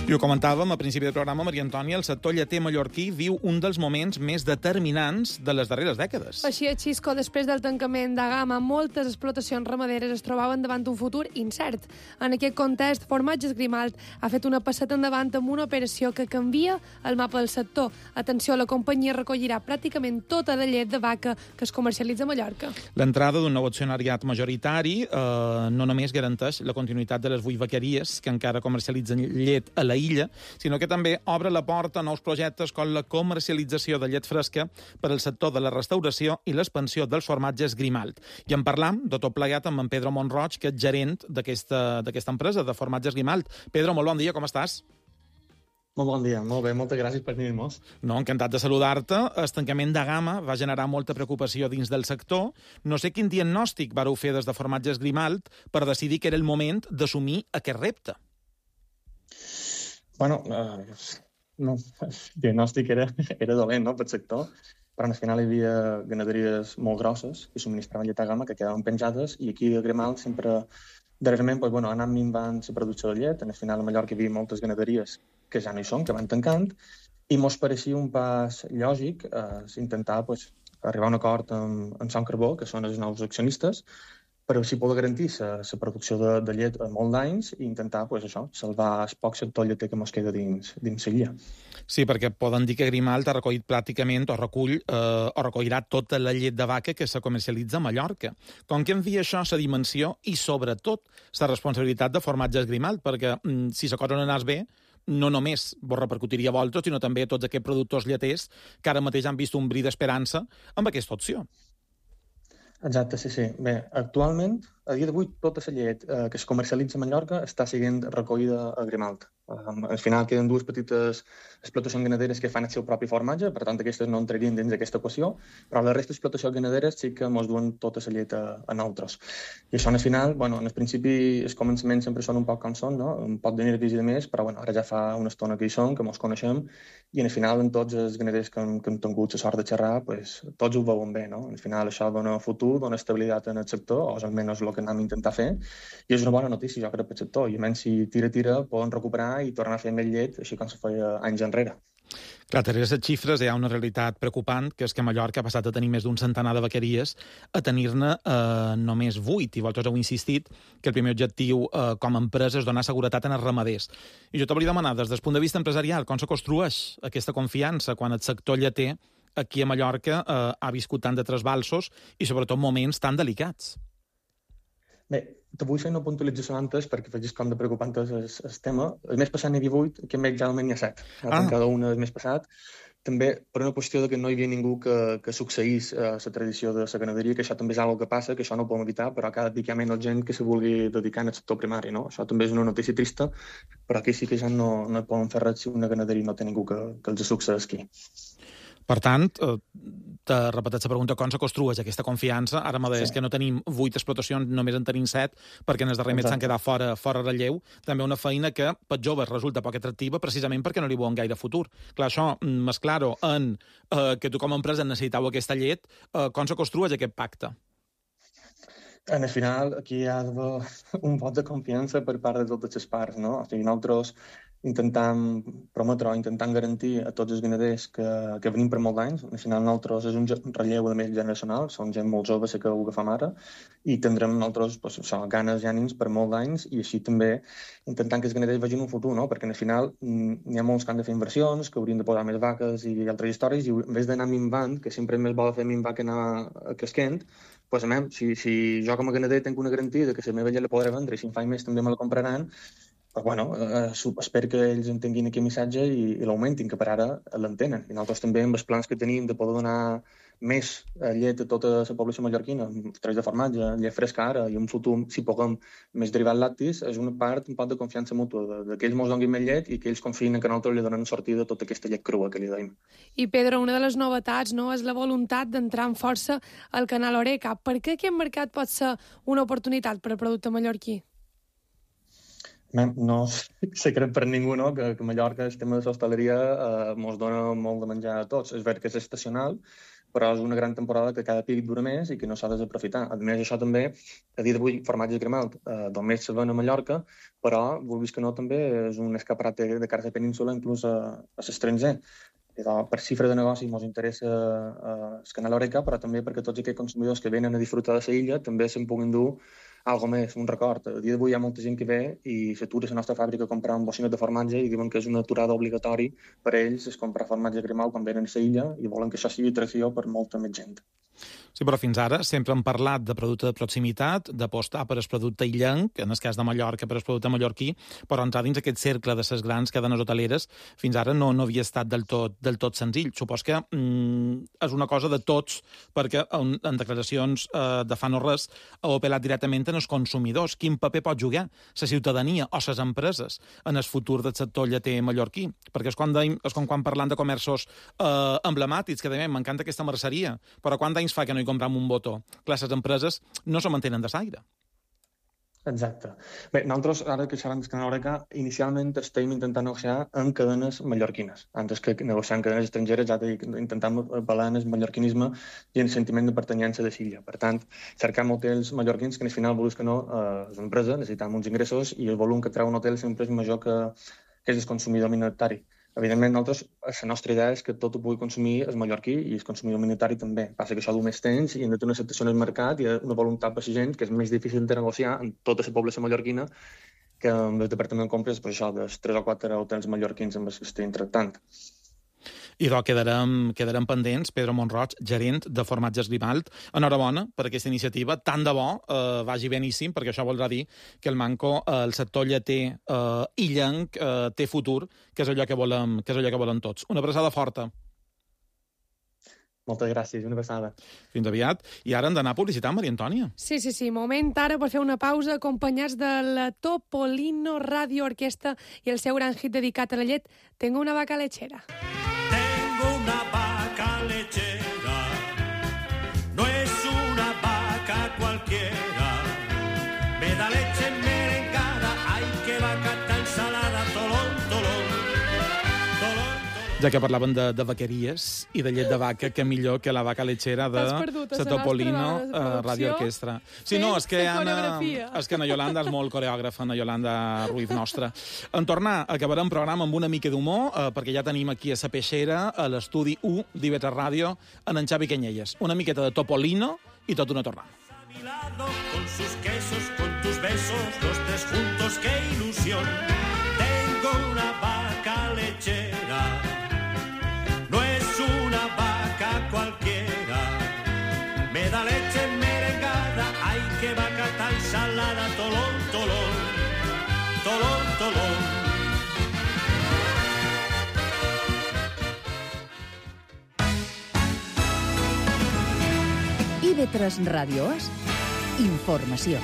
I ho comentàvem a principi del programa, Maria Antònia, el sector lleter mallorquí viu un dels moments més determinants de les darreres dècades. Així a Xisco, després del tancament de gamma, moltes explotacions ramaderes es trobaven davant un futur incert. En aquest context, Formatges Grimalt ha fet una passeta endavant amb una operació que canvia el mapa del sector. Atenció, la companyia recollirà pràcticament tota la llet de vaca que es comercialitza a Mallorca. L'entrada d'un nou accionariat majoritari eh, no només garanteix la continuïtat de les vuit vaqueries que encara comercialitzen llet a la la illa, sinó que també obre la porta a nous projectes com la comercialització de llet fresca per al sector de la restauració i l'expansió dels formatges Grimalt. I en parlam de tot plegat amb en Pedro Montroig, que és gerent d'aquesta empresa de formatges Grimalt. Pedro, molt bon dia, com estàs? Molt bon dia, molt bé, moltes gràcies per venir-nos. No, encantat de saludar-te. El tancament de gamma va generar molta preocupació dins del sector. No sé quin diagnòstic vareu fer des de Formatges Grimalt per decidir que era el moment d'assumir aquest repte. Bueno, eh, no, el diagnòstic era, era dolent, no?, pel sector, però al final hi havia ganaderies molt grosses que subministraven llet a gamma que quedaven penjades, i aquí a Grimalt sempre, darrerament, pues, bueno, anant minvant la producció de llet. Al final a Mallorca hi havia moltes ganaderies que ja no hi són, que van tancant, i mos pareixia un pas lògic eh, intentar pues, arribar a un acord amb, amb Son Carbó, que són els nous accionistes, per així poder garantir la producció de, de llet a molts anys i intentar pues, això, salvar el poc sector lleter que mos queda dins, dins l'illa. Sí, perquè poden dir que Grimalt ha recollit pràcticament, o recull, eh, o recollirà tota la llet de vaca que se comercialitza a Mallorca. Com que envia això la dimensió i, sobretot, la responsabilitat de Formatges Grimalt, perquè mm, si la cosa no anés bé, no només vos repercutiria a vosaltres, sinó també a tots aquests productors lleters que ara mateix han vist un bri d'esperança amb aquesta opció. Exacte, sí, sí. Bé, actualment, a dia d'avui, tota la llet eh, que es comercialitza a Mallorca està sent recollida a Grimalt. Um, al final queden dues petites explotacions ganaderes que fan el seu propi formatge, per tant aquestes no entrarien dins d'aquesta equació, però la resta d'explotacions ganaderes sí que mos duen tota la llet a, a nosaltres. I això, al final, bueno, en el principi, els començaments sempre són un poc com són, no? Un poc de nervis i de més, però bueno, ara ja fa una estona que hi som, que mos coneixem, i al final, en tots els ganaders que han, que han tingut la sort de xerrar, pues, tots ho veuen bé, no? Al final això dona futur, dona estabilitat en el sector, o almenys el que anem a intentar fer, i és una bona notícia, jo crec, pel sector, i almenys si tira-tira poden recuperar i tornar a fer més llet, així com se feia anys enrere. Clar, darrere les xifres hi ha una realitat preocupant, que és que Mallorca ha passat a tenir més d'un centenar de vaqueries a tenir-ne eh, només vuit. I vosaltres heu insistit que el primer objectiu eh, com a empresa és donar seguretat en els ramaders. I jo t'hauria demanat, des del punt de vista empresarial, com se construeix aquesta confiança quan el sector lleter aquí a Mallorca eh, ha viscut tant de trasbalsos i sobretot moments tan delicats. Bé, te vull fer una puntualització antes perquè vegis com de preocupant és el, el tema. El mes passat n'hi havia vuit, aquest mes realment n'hi ha set. Ah. Cada una el mes passat. També per una qüestió de que no hi havia ningú que, que succeís a la tradició de la ganaderia, que això també és una cosa que passa, que això no ho podem evitar, però cada dia hi ha menys gent que se vulgui dedicar al sector primari, no? Això també és una notícia trista, però aquí sí que ja no, no poden fer res si una ganaderia no té ningú que, que els succeís aquí. Per tant, eh, te repeteix la pregunta, com se construeix aquesta confiança? Ara me deies sí. que no tenim vuit explotacions, només en tenim set, perquè en els darrers mesos s'han quedat fora, fora relleu. També una feina que per joves resulta poc atractiva precisament perquè no li veuen gaire futur. Clar, això, mesclar-ho en eh, que tu com a empresa necessitau aquesta llet, eh, com se construeix aquest pacte? En el final, aquí hi ha un vot de confiança per part de totes les parts, no? O sigui, nosaltres intentant prometre o intentant garantir a tots els ganaders que, que venim per molts anys. Al final, nosaltres és un relleu a més generacional, som gent molt jove, sé que ho agafam ara, i tindrem nosaltres pues, això, ganes i ànims per molts anys, i així també intentant que els ganaders vegin un futur, no? Perquè al final n'hi ha molts que han de fer inversions, que haurien de posar més vaques i altres històries, i en vez d'anar minvant, que sempre és més bo fer minvar que anar cresquent, pues, amem, si, si jo com a ganader tinc una garantia de que la meva llet la podré vendre i si en faig més també me la compraran, però bueno, eh, espero que ells entenguin aquest missatge i, i l'augmentin, que per ara l'entenen. I nosaltres també amb els plans que tenim de poder donar més llet a tota la població mallorquina, a través de formatge, llet fresca ara, i en futur, si puguem, més derivats lactis, és una part, un pot de confiança mútua, de, de que ells ens donin més llet i que ells confien que nosaltres li donem sortida a tota aquesta llet crua que li donem. I Pedro, una de les novetats, no?, és la voluntat d'entrar amb força al canal Oreca. Per què aquest mercat pot ser una oportunitat per al producte mallorquí? No secret per ningú, no?, que, que a Mallorca el tema de l'hostaleria eh, ens dona molt de menjar a tots. És veritat que és estacional, però és una gran temporada que cada pic dura més i que no s'ha de desaprofitar. A més, això també, a dia d'avui, Formatges Grimalt eh, només se ven a Mallorca, però, vulguis que no, també és un escaparat de, de cara a la península, inclús a, a l'estranger. Per xifra de negoci ens interessa eh, el canal Oreca, però també perquè tots aquests consumidors que venen a disfrutar de la illa també se'n puguin dur algo més, un record. A dia d'avui hi ha molta gent que ve i s'atura a la nostra fàbrica a comprar un bocines de formatge i diuen que és una aturada obligatori per a ells és comprar formatge Grimalt quan venen a la illa i volen que això sigui atracció per molta més gent. Sí, però fins ara sempre hem parlat de producte de proximitat, d'apostar per el producte illenc, en el cas de Mallorca per el producte mallorquí, però entrar dins aquest cercle de les grans cadenes hoteleres fins ara no, no havia estat del tot, del tot senzill. Supos que mm, és una cosa de tots, perquè en, en declaracions eh, de fa no res heu apel·lat directament en els consumidors. Quin paper pot jugar la ciutadania o les empreses en el futur del sector lleter mallorquí? Perquè és com, deim, és com quan parlant de comerços eh, emblemàtics, que dèiem, m'encanta aquesta merceria, però quant d'anys fa que no hi compram un botó? Clar, les empreses no se mantenen de l'aire. Exacte. Bé, nosaltres, ara que xerrem d'Escanal Oreca, inicialment estem intentant negociar amb cadenes mallorquines. Antes que negociar amb cadenes estrangeres, ja dic, intentam apel·lar en el mallorquinisme i en el sentiment de pertanyença de l'illa. Per tant, cercam hotels mallorquins que, al final, volus que no, eh, és una empresa, necessitam uns ingressos i el volum que treu un hotel sempre és major que, que és el consumidor minoritari. Evidentment, nosaltres, la nostra idea és que tot ho pugui consumir el mallorquí i el consumidor minoritari també. Passa que això du més temps i hem de tenir una acceptació en el mercat i una voluntat per la gent que és més difícil de negociar amb tota la població mallorquina que amb el departament de compres, per això, dels tres o quatre hotels mallorquins amb els que estem tractant. I doncs quedarem, quedarem pendents. Pedro Monroig, gerent de Formatges Grimalt. Enhorabona per aquesta iniciativa. Tant de bo eh, vagi beníssim, perquè això voldrà dir que el manco, eh, el sector lleter eh, illenc, eh, té futur, que és allò que volem, que és allò que volem tots. Una abraçada forta. Moltes gràcies, una abraçada. Fins aviat. I ara hem d'anar a publicitar, Maria Antònia. Sí, sí, sí. Moment ara per fer una pausa acompanyats de la Topolino Radio Orquestra i el seu gran hit dedicat a la llet, Tengo una vaca lechera. Una vaca lechera, no es una vaca cualquiera, me da leche merengada, ay, qué vaca tan salada, tolón, tolón, tolón. Ja que parlaven de, de vaqueries i de llet de vaca, que millor que la vaca lechera de la Topolino uh, Radio Orquestra. Sí, no, és que, Anna, és que na Yolanda és molt coreògrafa, na Yolanda Ruiz nostra. En tornar, acabarem programa amb una mica d'humor, uh, perquè ja tenim aquí a sa peixera, a l'estudi u d'I V tres Ràdio, en en Xavi Canyelles. Una miqueta de Topolino i tot una tornada. A mi lado, con sus quesos, con tus besos, los tres juntos, qué ilusión. Tengo una vaca lechera. No es una vaca cualquiera, me da leche merengada, ay, qué vaca tan salada, tolón, tolón, tolón, tolón. I V tres Ràdio és informació.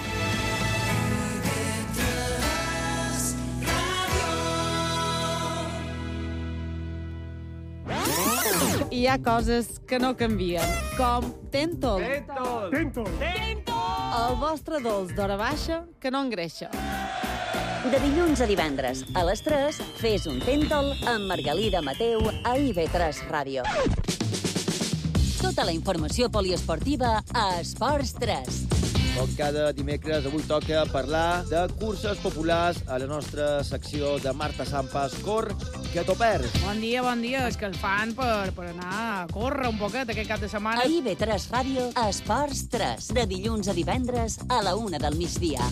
Hi ha coses que no canvien, com Tentol. Tentol. Tentol. Tentol. El vostre dolç d'hora baixa que no engreixa. De dilluns a divendres, a les tres, fes un Tentol amb Margalida Mateu a I V tres Ràdio. Tota la informació poliesportiva a Esports tres. Com cada dimecres, avui toca parlar de curses populars a la nostra secció de Marta Sampas. Cor, que t'ho perds. Bon dia, bon dia. És que el fan per, per anar a córrer un poquet aquest cap de setmana. A I V tres Ràdio, Esports tres. De dilluns a divendres a la una del migdia.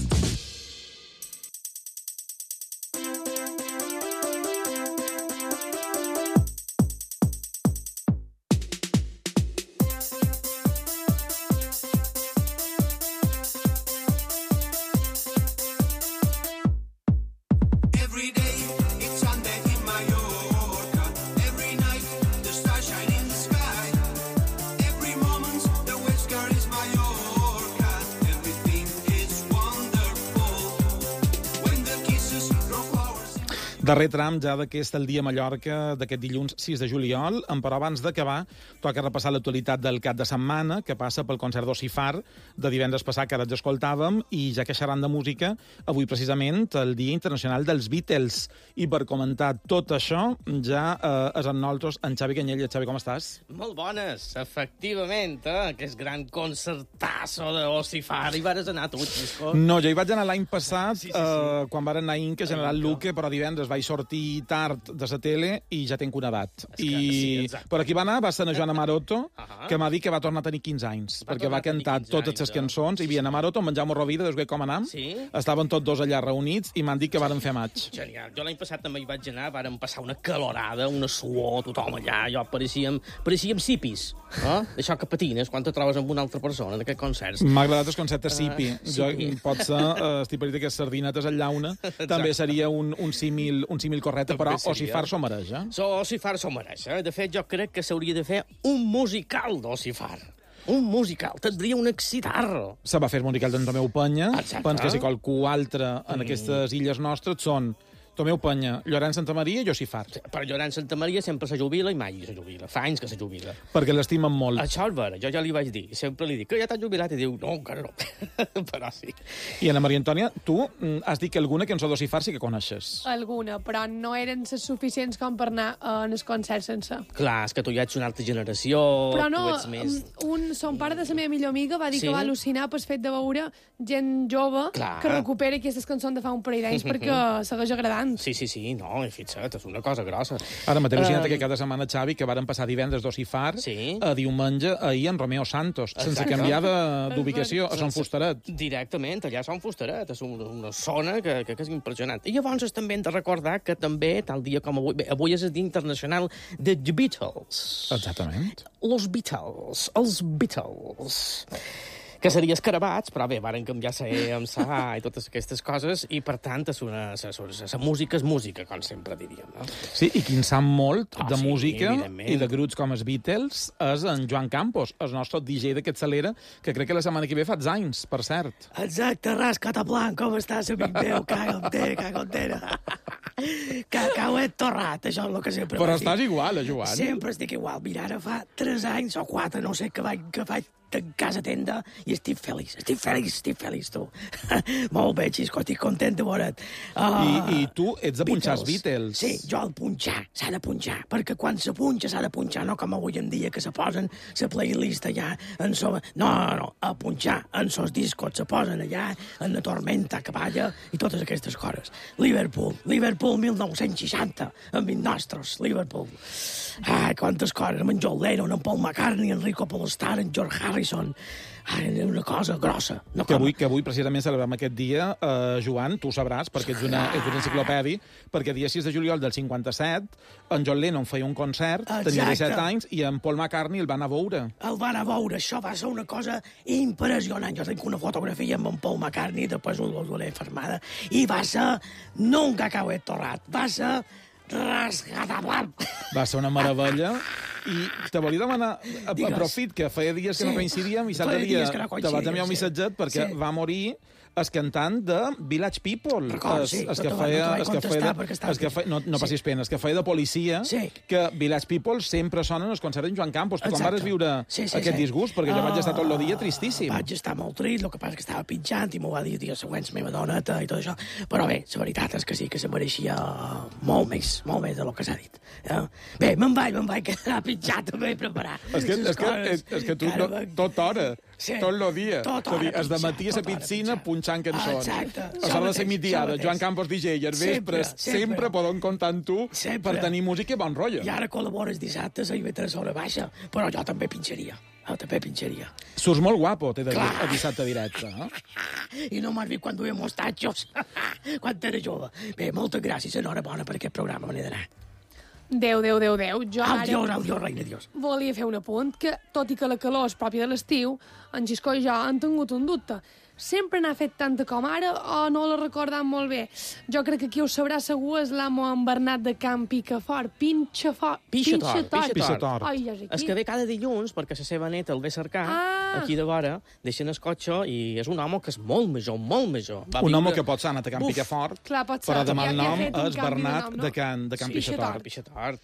Darrer tram ja d'aquest El dia a Mallorca d'aquest dilluns sis de juliol, però abans d'acabar toca repassar l'actualitat del cap de setmana, que passa pel concert d'Ossifar de divendres passat, que ara ens escoltàvem, i ja que xerrant de música, avui precisament el Dia Internacional dels Beatles. I per comentar tot això ja eh, és amb nosaltres en Xavi Canyelles. Xavi, com estàs? Molt bones, efectivament, eh? Aquest gran concertazo d'Ossifar. Hi vas anar tu, Xisco? No, jo hi vaig anar l'any passat, sí, sí, sí. Eh, quan van anar a Inca, General Luque, però divendres vaig vaig sortir tard de la tele i ja tenc una edat. que, I sí, per aquí va anar, va ser a Joana Maroto, que m'ha dit que va tornar a tenir quinze anys, va perquè va cantar totes les cançons, i havien a Maroto, amb en Jaume Rovira, deus veure com anam? Sí. Estaven tots dos allà reunits i m'han dit que varen fer maig. Genial. Jo l'any passat també hi vaig anar, vàrem passar una calorada, una suor, tothom allà, jo pareixíem, pareixíem sipis, no? Això que patines quan te trobes amb una altra persona en aquests concerts. M'ha agradat el concepte sipi. Uh, jo, sipi. pot ser, uh, estic per dir que sardinetes al llauna també seria un, un, símil, un símil correcte, però Ossifar s'ho mereix, eh? So, Ossifar s'ho mereix, eh? De fet, jo crec que s'hauria de fer un musical d'Ossifar. Un musical, tindria un excitarro. Se va fer el musical d'en Tomeu Penya. Exacte. Pens que si qualcú altre en Mm. aquestes illes nostres són Tomeu Penya, Llorenç Santamaria i Ossifar. Però Llorenç Santamaria sempre se jubila i mai se jubila. Fa anys que se jubila. Perquè l'estimen molt. Això és vera, jo ja li vaig dir. Sempre li dic que ja t'has jubilat i diu, no, encara no. Però sí. I Ana Maria Antònia, tu mm, has dit que alguna cançó d'Ossifar sí que coneixes. Alguna, però no eren les suficients com per anar en el concert sense. Clar, és que tu ja ets una altra generació, Però no, tu ets més... un, son pare de la meva millor amiga va dir Sí? que va al·lucinar pel fet de veure gent jove Clar. que recupera aquestes cançons de fa un parell d'anys perquè segueix agradant. Sí, sí, sí, no, fixa't, és una cosa grossa. Ara mateix, imagina't Um, que cada setmana, Xavi, que varen passar divendres d'Ossifar Sí. a diumenge ahir en Romeo Santos, sense Exacte. canviar de- d'ubicació, a Son Sense- Fustaret. Directament, allà a Son Fustaret, és una, una zona que, que, que és impressionant. I llavors també hem de recordar que també, tal dia com avui, bé, avui és el Dia Internacional de The Beatles. Exactament. Los Beatles, els Beatles. Que seria escarabats, però bé, varen canviar la E amb la A i totes aquestes coses, i per tant, és una, la, la, la música és música, com sempre diríem, no? Sí, i qui en sap molt Ah, de sí, música evidentment. i de grups com els Beatles és en Joan Campos, el nostre D J d'aquest Salera, que crec que la setmana que ve fa anys, per cert. Exacte, Rascata Blanc, com estàs, amic meu? Cago en tera, cago en tera. Cacauet torrat, això és el que sempre Però vaig dir. estàs igual, eh, Joan? Sempre estic igual. Mira, ara fa tres anys o quatre, no sé, que vaig, que vaig tancar la tenda i estic feliç, estic feliç, estic feliç, tu. Molt bé, Xisco, estic content de veure't. Uh, I, I tu ets de punxar els Beatles. Sí, jo el punxar, s'ha de punxar, perquè quan se punxa s'ha de punxar, no com avui en dia que se posen la playlist allà en so... No, no, no, a punxar en sos discos, se posen allà en la tormenta que balla i totes aquestes coses. Liverpool, Liverpool mil nou-cents seixanta, amb els nostres, Liverpool. Ai, quantes coses, amb en John Lennon, en Paul McCartney, en Rico Polestar, en George Harrison. Ai, una cosa grossa. No Que avui, que avui precisament celebrem aquest dia, eh, Joan, tu ho sabràs, perquè ets una, ets una enciclopèdia, perquè dia sis de juliol del cinquanta-set, en John Lennon feia un concert, tenia Exacte. disset anys, i en Paul McCartney el van a veure. El van a veure, això va ser una cosa impressionant. Jo tinc una fotografia amb en Paul McCartney, després ho l'he fermada, i va ser no un cacauet torrat, va ser rasgadablam. Va ser una meravella. I te volia demanar, a, Digues. aprofit, que feia dies que Sí. no coincidíem, i l'altre Feia dia dies que no te vaig coincidíem, enviar un sí. missatget perquè Sí. va morir el cantant de Village People. Record, Es- sí, es no que te va- feia, no te vaig es que contestar feia, perquè estava- es que feia, no, no passis pena, es que feia de policia, Sí. que Village People sempre sonen els concerts d'en Joan Campos. Tu com Exacte. vares viure Sí, sí, aquest sí. disgust? Perquè jo Ah, vaig estar tot el dia tristíssim. Vaig estar molt trist, el que passa que estava pitjant i m'ho va dir el dia següent la meva doneta i tot això. Però bé, la veritat és que sí que se mereixia molt més, molt més del que s'ha dit. Eh? Bé, me'n vaig, me'n vaig quedar pitjat també preparat. És que, és que, és, és que tu no, tot hora, Sí. tot el dia. Tot És a dir, hora es de pitjant, matí a la tot hora piscina punxant cançons. Exacte. A Això l'hora de mateix, ser migdiada, això Joan mateix. Campos D J, i els Sempre, vespres, sempre, sempre. poden comptar amb tu Sempre. per tenir música i bon rotllo. I ara col·labores dissabtes a I V tres hora baixa, però jo també pinxaria. Jo també pinxaria. Surts molt guapo, t'he de dir, Clar. a dissabte directe. Eh? I no m'has vist quan duia mostatxos, quan era jove. Bé, moltes gràcies, enhorabona per aquest programa, me n'he d'anar. Déu, Déu, Déu, Déu. Jo ara Adiós, adiós, reina, adiós. volia fer un apunt, que tot i que la calor és pròpia de l'estiu, en Xisco i jo han tingut un dubte. Sempre n'ha fet tanta com ara o no la recordam molt bé? Jo crec que qui ho sabrà segur és l'amo en Bernat de Camp Picafort. Pinxafort. Pixator, Pixator. Ai, ja és aquí. És que ve cada dilluns perquè la seva neta el ve a cercar Ah. aquí de vora, deixen el cotxe i és un home que és molt major, molt major. Va Un viure- home que pot ser anat a Can Buf. Picafort, Clar, pot ser. però demà Ja- el ja ha nom fet un és canvi de Bernat nom, no? de Can, de Can Sí, Pixatort. Pixatort.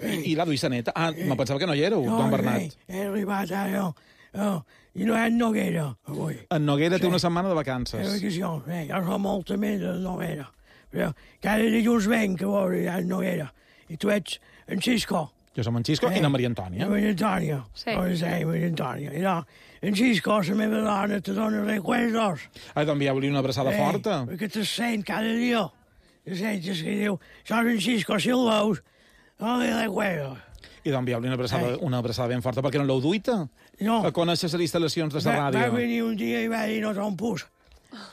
I, i la Lluïsa Neta. Ah, me pensava que no hi éreu, don Bernat. He, he arribat ara, oh, i no hi ha Noguera, avui. En Noguera té Sí. una setmana de Eh, vacances. vacacions, bé, jo som molt també de Noguera. Però cada dilluns venc a veure en Noguera. I tu ets en Xisco. Jo som en Xisco i la Maria Antònia. La Maria Antònia. Sí. No sé, Maria Antònia. I no, en Xisco, la meva dona, te dona recuerdos. Ai, doncs enviar-li una abraçada Eh, forta. Perquè te sent cada dia. que sentes que diu, soy Francisco Silvaus, ole de huevo. I d'enviar-li una abraçada, una abraçada ben forta, perquè no l'heu duita? No. A conèixer les instal·lacions de la Va, ràdio. va venir un dia i va dir no som pus.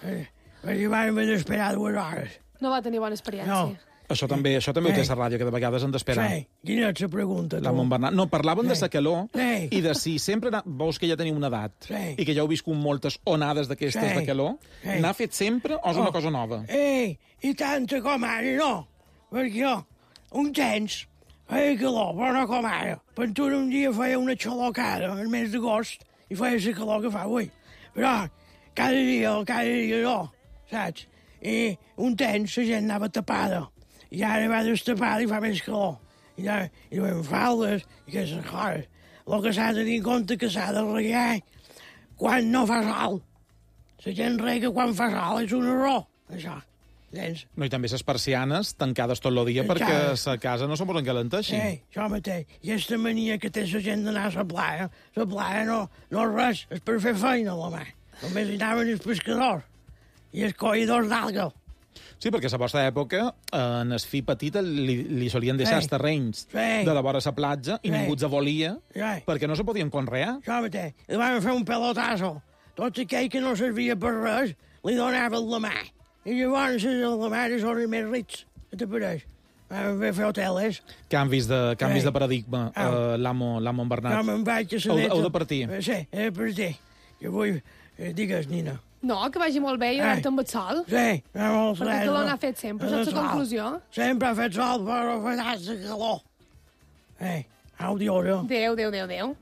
Eh, perquè van haver d'esperar dues hores. No va tenir bona experiència. No. Això també, això també ho té Sí. la ràdio, que de vegades han d'esperar. Sí, quina és la pregunta, La tu? Montbernat. No, parlaven de Sí. la calor Sí. i de si sempre... Anar... Veus que ja teniu una edat Sí. i que ja heu viscut moltes onades d'aquestes Sí. de calor. Sí. N'ha fet sempre o és una Oh. cosa nova? Ei, i tanta com ara no, perquè jo, un temps, feia calor, però no com ara. Ventura un dia feia una xalocada al mes d'agost i feia la calor que fa avui. Però cada dia, cada dia no, saps? I un temps la gent anava tapada i ara va destapada i fa més calor. I, ja, i duem faldes i aquestes coses. El que s'ha de tenir en compte que s'ha de regar quan no fa sol. La gent rega quan fa sol, és un error, això. Entens? No, i també les persianes tancades tot el dia perquè Tancades. la casa no se poden calenteixi. Sí, això mateix. I aquesta mania que té la gent d'anar a la playa, la playa no, no és res, és per fer feina a la mà. Només hi anaven els pescadors i els collidors d'alga. Sí, perquè a la vostra època, eh, en el fi petit li, li solien deixar Sí. els terrenys Sí. de la vora la platja i Sí. ningú els volia Sí. perquè no se podien conrear. Això mateix. I van fer un pelotasso. Tot aquell que no servia per res, li donaven la mà. I llavors els alemanes són els més rics. Què te pareix? Van fer hoteles. Canvis de, canvis Sí. de paradigma, Ah. eh, l'amo l'amo en Bernat. Jo me'n vaig a Heu, Saneta. heu de partir. Eh, Sí, he de partir. Jo vull... Eh, digues, Nina. No, que vagi molt bé i anar-te amb el sol. Sí, va molt Perquè fred. calor no? n'ha fet sempre, Ha saps de la sol. conclusió? Sempre ha fet sol, però fa tanta calor. Eh, au, diu, jo. Déu, Déu, Déu, Déu.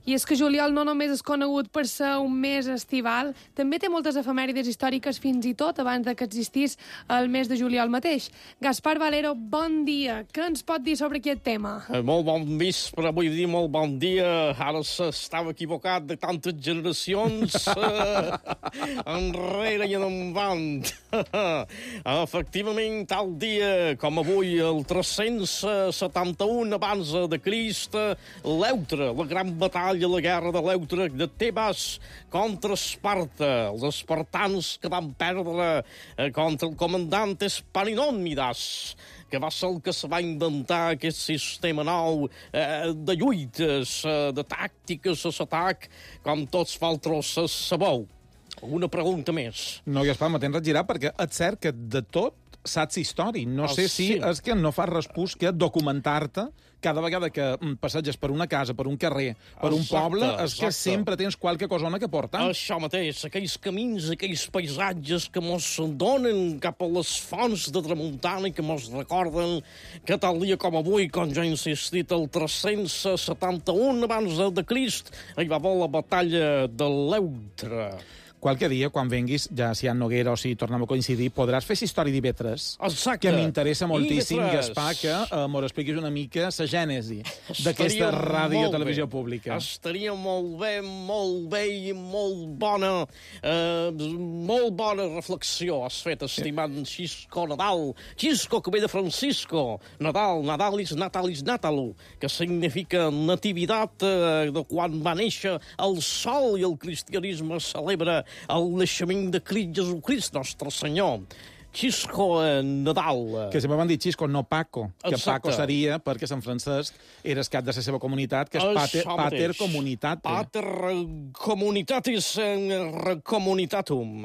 I és que juliol no només és conegut per ser un mes estival, també té moltes efemèrides històriques fins i tot abans de que existís el mes de juliol mateix. Gaspar Valero, bon dia. Què ens pot dir sobre aquest tema? Eh, Molt bon vespre, vull dir molt bon dia. Ara s'estava equivocat de tantes generacions eh, enrere i en endavant. Efectivament, tal dia com avui, el tres-cents setanta-u abans de Crist, l'Eutra, la gran batalla, la guerra de l'Eutra de Tebas contra Esparta, els espartans que van perdre eh, contra el comandant Epaminònides, que va ser el que se va inventar aquest sistema nou eh, de lluites, eh, de tàctiques a l'atac, com tots vosaltres sabeu. Alguna pregunta més? No, Gaspar, me tens regirat perquè és cert que de tot saps història. No Ah, sé si sí. és que no fas res pus que documentar-te cada vegada que mm, passeges per una casa, per un carrer, per un Exacte, poble, és que exacte. sempre tens qualque cosona que portar. Això mateix, aquells camins, aquells paisatges que mos donen cap a les fonts de tramuntana i que mos recorden que tal dia com avui, com ja he insistit, el tres-cents setanta-u abans de Crist, hi va haver la batalla de l'Eutra. Qualque dia, quan venguis, ja si hi ha Noguera o si tornem a coincidir, podràs fer història d'I V tres. Exacte. Que m'interessa moltíssim, I V tres. Gaspar, que eh, m'ho expliquis una mica la gènesi d'aquesta Estaria ràdio molt i televisió bé. pública. Estaria molt bé, molt bé i molt bona, eh, molt bona reflexió has fet, estimat Xisco Nadal. Xisco, que ve de Francisco. Nadal, Nadalis, Natalis, Natalu, que significa nativitat eh, de quan va néixer el sol i el cristianisme celebra el naixement de Crist Jesucrist, nostre Senyor. Xisco eh, Nadal. Que sempre van dir Xisco, no Paco. Que Exacte. Paco seria perquè Sant Francesc era el cap de la seva comunitat, que és pater, Això pater mateix. comunitate. Pater comunitatis en comunitatum.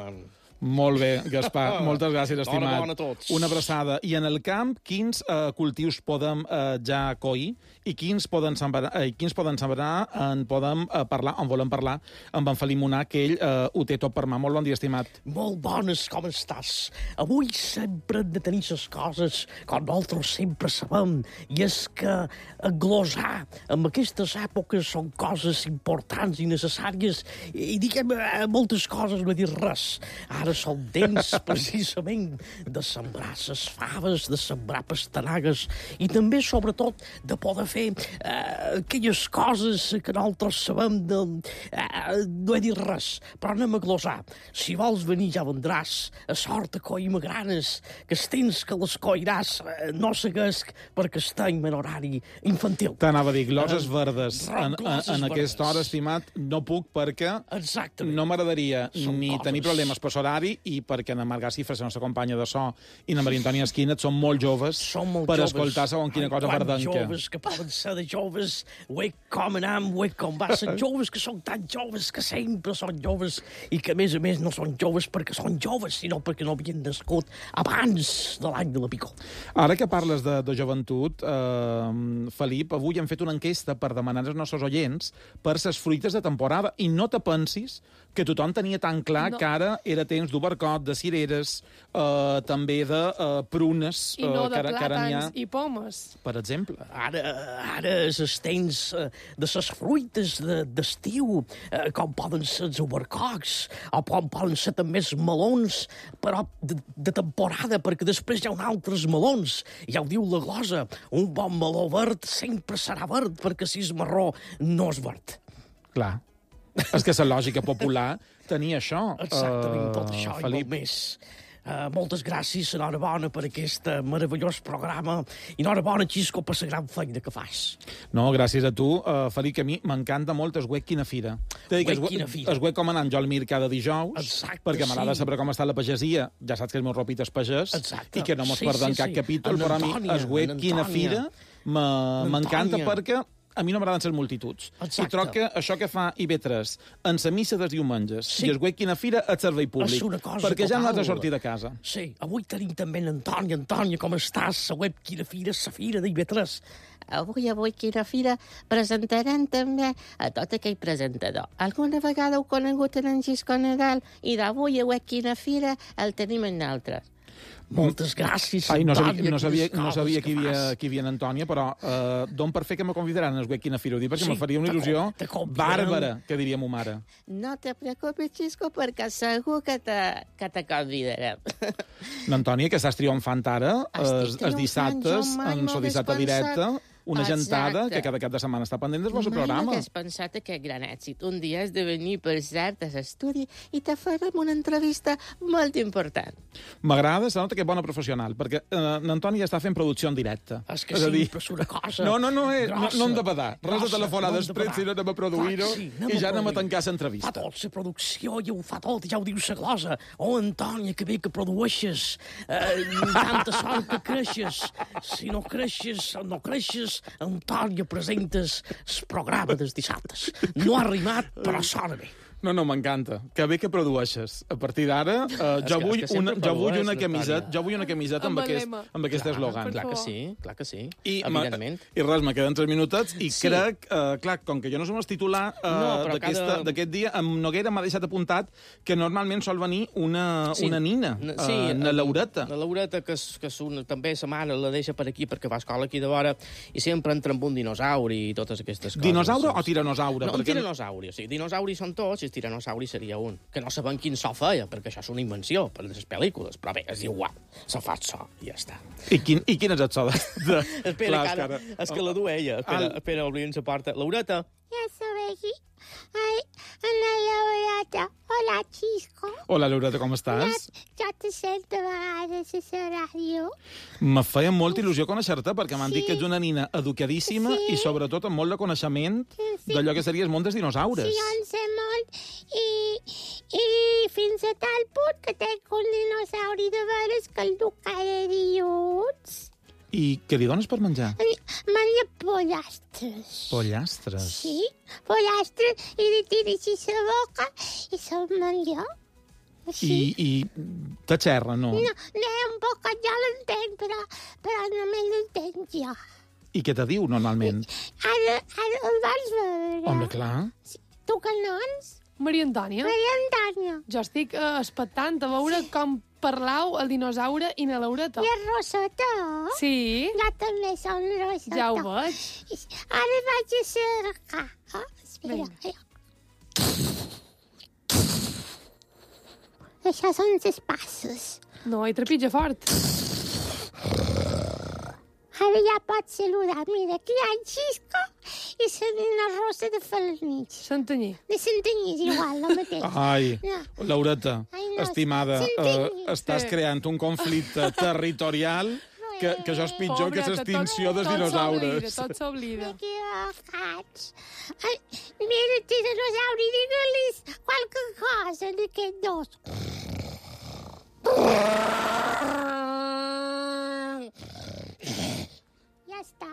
Molt bé, Gaspar. Moltes gràcies, Bona, estimat. bona a tots. Una abraçada. I en el camp, quins eh, cultius podem eh, ja coir i quins poden sembrar, eh, quins poden sembrar en podem eh, parlar, en volem parlar, amb en Felip Monar, que ell eh, ho té tot per mà. Molt bon dia, estimat. Molt bones, com estàs? Avui sempre hem de tenir les coses com nosaltres sempre sabem, i és que glosar en aquestes èpoques són coses importants i necessàries, i diguem eh, moltes coses, no he dit res. Ara són temps, precisament, de sembrar les faves, de sembrar pastanagues, i també, sobretot, de poder fer eh, aquelles coses que nosaltres sabem de... Eh, no he dit res, però anem a glosar. Si vols venir ja vendràs, a sort a coi magranes, que els temps que les coiràs eh, no seguesc perquè estem en horari infantil. T'anava a dir, gloses Eh, verdes. En, en, gloses en aquesta verdes. hora, estimat, no puc perquè Exactament. no m'agradaria Són ni coses. tenir problemes per l'horari necessari i perquè na Marga Cifres, la nostra companya de so, i na Maria Antònia Esquina són molt joves molt per joves. escoltar segons quina cosa Quants verdenca. joves que poden ser de joves, ué, com anam, ué, com va ser joves, que són tan joves, que sempre són joves, i que, a més a més, no són joves perquè són joves, sinó perquè no havien nascut abans de l'any de la Picó. Ara que parles de, de joventut, eh, Felip, avui hem fet una enquesta per demanar als nostres oients per ses fruites de temporada, i no te pensis que tothom tenia tan clar No. que ara era temps d'obercot, de cireres, eh, també de eh, prunes, I no eh, de que ara, que ara n'hi ha, plàtans i pomes. per exemple. Ara, ara és el temps eh, de les fruites d'estiu, de, eh, com poden ser els obercocs, o com poden ser també els melons, però de, de temporada, perquè després hi ha un altres melons. Ja ho diu la glosa, un bon meló verd sempre serà verd, perquè si és marró no és verd. Clar. És que la lògica popular tenia això, Exactament, tot eh, això i Felip. molt més. Uh, moltes gràcies, enhorabona per aquest meravellós programa i enhorabona, Xisco, per la gran feina que fas. No, gràcies a tu, uh, Felip, que a mi m'encanta molt el Web Quina Fira. T'he de dir que Web el Quina Fira. El web com anar en Joel Mir cada dijous, Exacte, perquè m'agrada sí. saber com està la pagesia, ja saps que el meu ropit és pagès, Exacte. i que no mos Sí, perdem sí, cap sí. capítol, En però a mi Antònia, el Web en Quina Antònia. Fira me- En m'encanta Antònia. perquè a mi no m'agraden les multituds. Exacte. I troc que això que fa I B tres en la missa dels diumenges Sí. i el Web Quina Fira és servei públic, És una cosa perquè ja no has de total. sortir de casa. Sí, avui tenim també en Antònia. Antònia, com estàs? La web Quina Fira, la fira d'I B tres. Avui, avui, Quina Fira, presentarem també a tot aquell presentador. Alguna vegada heu conegut en Xisco Nadal i d'avui, avui, Quina Fira, el tenim en altres. Moltes gràcies, Ai, no sabia, Antònia, no sabia, quines no coses sabia que que hi havia, fas. que hi havia en Antònia, però eh, don per fer que me convidaran al Web Quina Fira, ho dic perquè Sí, me faria una te il·lusió con- te convidaran. bàrbara, que diria mo mare. No te preocupis, Xisco, perquè segur que te, que te convidarem. L'Antònia, que estàs triomfant ara, Estic els, els triomfant, dissabtes, jo mai en no so hagués dissabte pensat- directe, una gentada Exacte. que cada cap de setmana està pendent del vostre Mai no programa. hagués pensat aquest gran èxit. Un dia has de venir, per cert, a l'estudi i te farem una entrevista molt important. M'agrada, se nota que és bona professional, perquè eh, l'Antònia ja està fent producció en directe. És que És a sí, dir, però és una cosa No, no, no, eh, no, grossa, no hem de badar. Res de grossa, telefonar no hem de després, badar. sinó anem a produir-ho Clar que sí, anem i a ja anem a produir. tancar Fa l'entrevista. tot, la producció, ja ho fa tot, ja ho diu la glosa. Oh, Antònia, que bé que produeixes. Eh, tanta sort que creixes. Si no creixes, no creixes, Antònia, presentes el programa dels dissabtes. No ha rimat, però sona bé. No, no, m'encanta. Que bé que produeixes. A partir d'ara, eh, És jo, que- vull és que sempre una, jo vull produeix, una camiseta, Natàlia. jo vull una camiseta amb, Amb el aquest, lema. amb aquest Clar, eslògan. Clar que sí, clar que sí, I, ma- evidentment. I res, me queden tres minutets i Sí. crec, eh, clar, com que jo no som el titular eh, No, però d'aquesta- cada- d'aquest dia, en Noguera m'ha deixat apuntat que normalment sol venir una, Sí. una nina, N- eh, sí, una eh, Laureta. La Laureta, que, és, que és una, també sa mare la deixa per aquí perquè va a escola aquí de vora i sempre entra amb un dinosauri i totes aquestes coses. Dinosaure o tiranosaure? No, un Perquè- tiranosauri, o sigui, dinosauri són tots i el tiranosauri seria un. Que no sabem quin so feia, perquè això és una invenció per les pel·lícules, però bé, és igual, se fa el so i ja està. I quin, i quin és el so de... de... Espera, Clar, que ara, és que la du ella. Espera, Ah. espera, obrint la porta. Laureta, Ja soy aquí. Ai, Ana Laureta. Hola, Xisco. Hola, Laureta, com estàs? Ja te sento a vegades a la ràdio. Me feia molta il·lusió conèixer-te perquè m'han Sí. dit que ets una nina educadíssima Sí. i sobretot amb molt de coneixement Sí. d'allò que seria el món dels dinosaures. Sí, en sé molt. I, I fins a tal punt que tenc un dinosauri de veres que el duc cada dilluns. I què li dones per menjar? Menja pollastres. Pollastres. Sí, pollastres i li tires a la boca i se'l menja. I, i te xerra, no? No, no, un poc ja l'entenc, però, però només l'entenc jo. I què te diu, normalment? Ara, ara el vas veure. Home, clar. Tu que noms? Maria Antònia. Maria Antònia. Jo estic eh, expectant a veure sí. com parlau el dinosaure i na Laureta. I el Roseta? Sí. Jo també som Roseta. Ja ho veig. Ara vaig a cercar. Oh, espera. Vinga. Això són les passes. No, i trepitja fort. Ara ja pots saludar. Mira, aquí hi ha en Xisco i la nina Rosa de Falanich. Santanyí. De Santanyí, és igual, el mateix. Ai, No. Laureta, Ai, no, estimada, eh, Santanyí. estàs Sí. creant un conflicte territorial que, que això és pitjor que l'extinció dels dinosaures. Tot s'oblida. Equivocats. Ai, mira, tiranosauri, digue-li qualque cosa d'aquests dos. Ja està.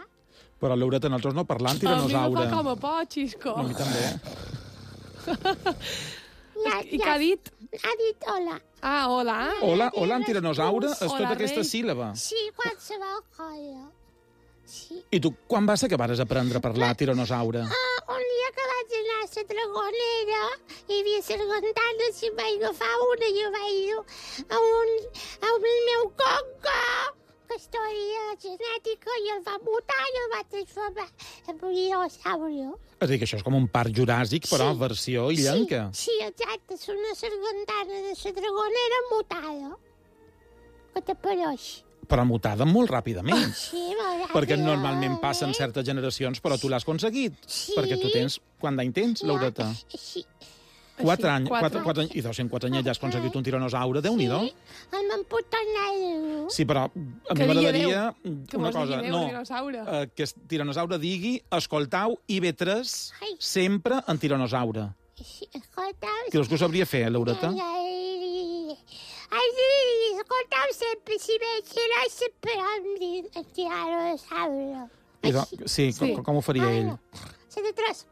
Però, Laureta, nosaltres no parlant A mi me tiranosaure. fa com a por, Xisco. A mi també. Ja, I què ha dit? Ha dit hola. Ah, hola. Hola, hola, en tiranosaure, és Hola, tota aquesta rei. síl·laba. Sí, qualsevol cosa. Sí. I tu, quan va ser que vares aprendre a parlar tiranosaure? Ah, un dia que vaig anar a la Dragonera, hi havia sargantanes i vaig agafar una i vaig dur a un, a un meu conca, que història genètica, i el va mutar i el va transformar en un dinosaurio. És a dir, que això és com un parc juràssic, però Sí. versió illenca. Sí, sí, exacte, és una sargantana de la Dragonera mutada. Què te pareix? Però mutada molt ràpidament. Sí, molt Perquè ràpida. normalment passen certes generacions, però tu l'has aconseguit. Sí. Perquè tu tens... Quant d'any tens, Laureta? Sí. Quatre anys. quatre. Quatre, quatre anys. I dos en quatre anys ja has aconseguit un tiranosaure. Déu-n'hi-do. El me'n puc tornar a dir. Sí, però a mi Que digui m'agradaria adéu. Que una mos digui cosa. adéu, No, tiranosaure. eh, que el tiranosaure digui escoltau I B tres sempre en tiranosaure. Sí, escolta... Creus que ho sabria fer, eh, Laureta? Ai, ai, ai, escolta'm sempre, si veig que no sempre em diu el tiranosaure. I do- Sí, com, com ho faria ell? Se de tres.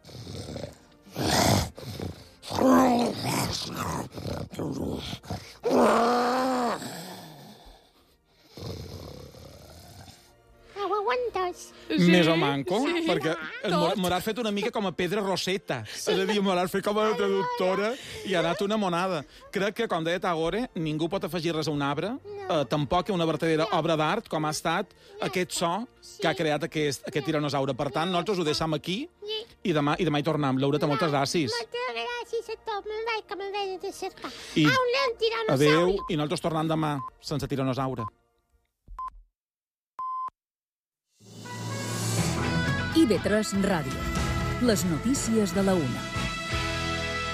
Ho aguantes? Més o manco, Sí. perquè Tot. me l'has fet una mica com a Pedra Roseta. És a dir, me l'has fet com a traductora i ha anat una monada. Crec que, com deia Tagore, ningú pot afegir res a un arbre, eh, tampoc a una vertadera obra d'art, com ha estat aquest so que ha creat aquest, aquest tiranosaure. Per tant, nosaltres ho deixam aquí i demà, i demà hi tornem. Laureta, moltes gràcies. Moltes gràcies a tot. Me'n vaig, que me'n vaig de cercar. I Ah, un nen tiranosaure. adéu, i nosaltres tornem demà sense tiranosaure. I B tres Ràdio. Les notícies de la una.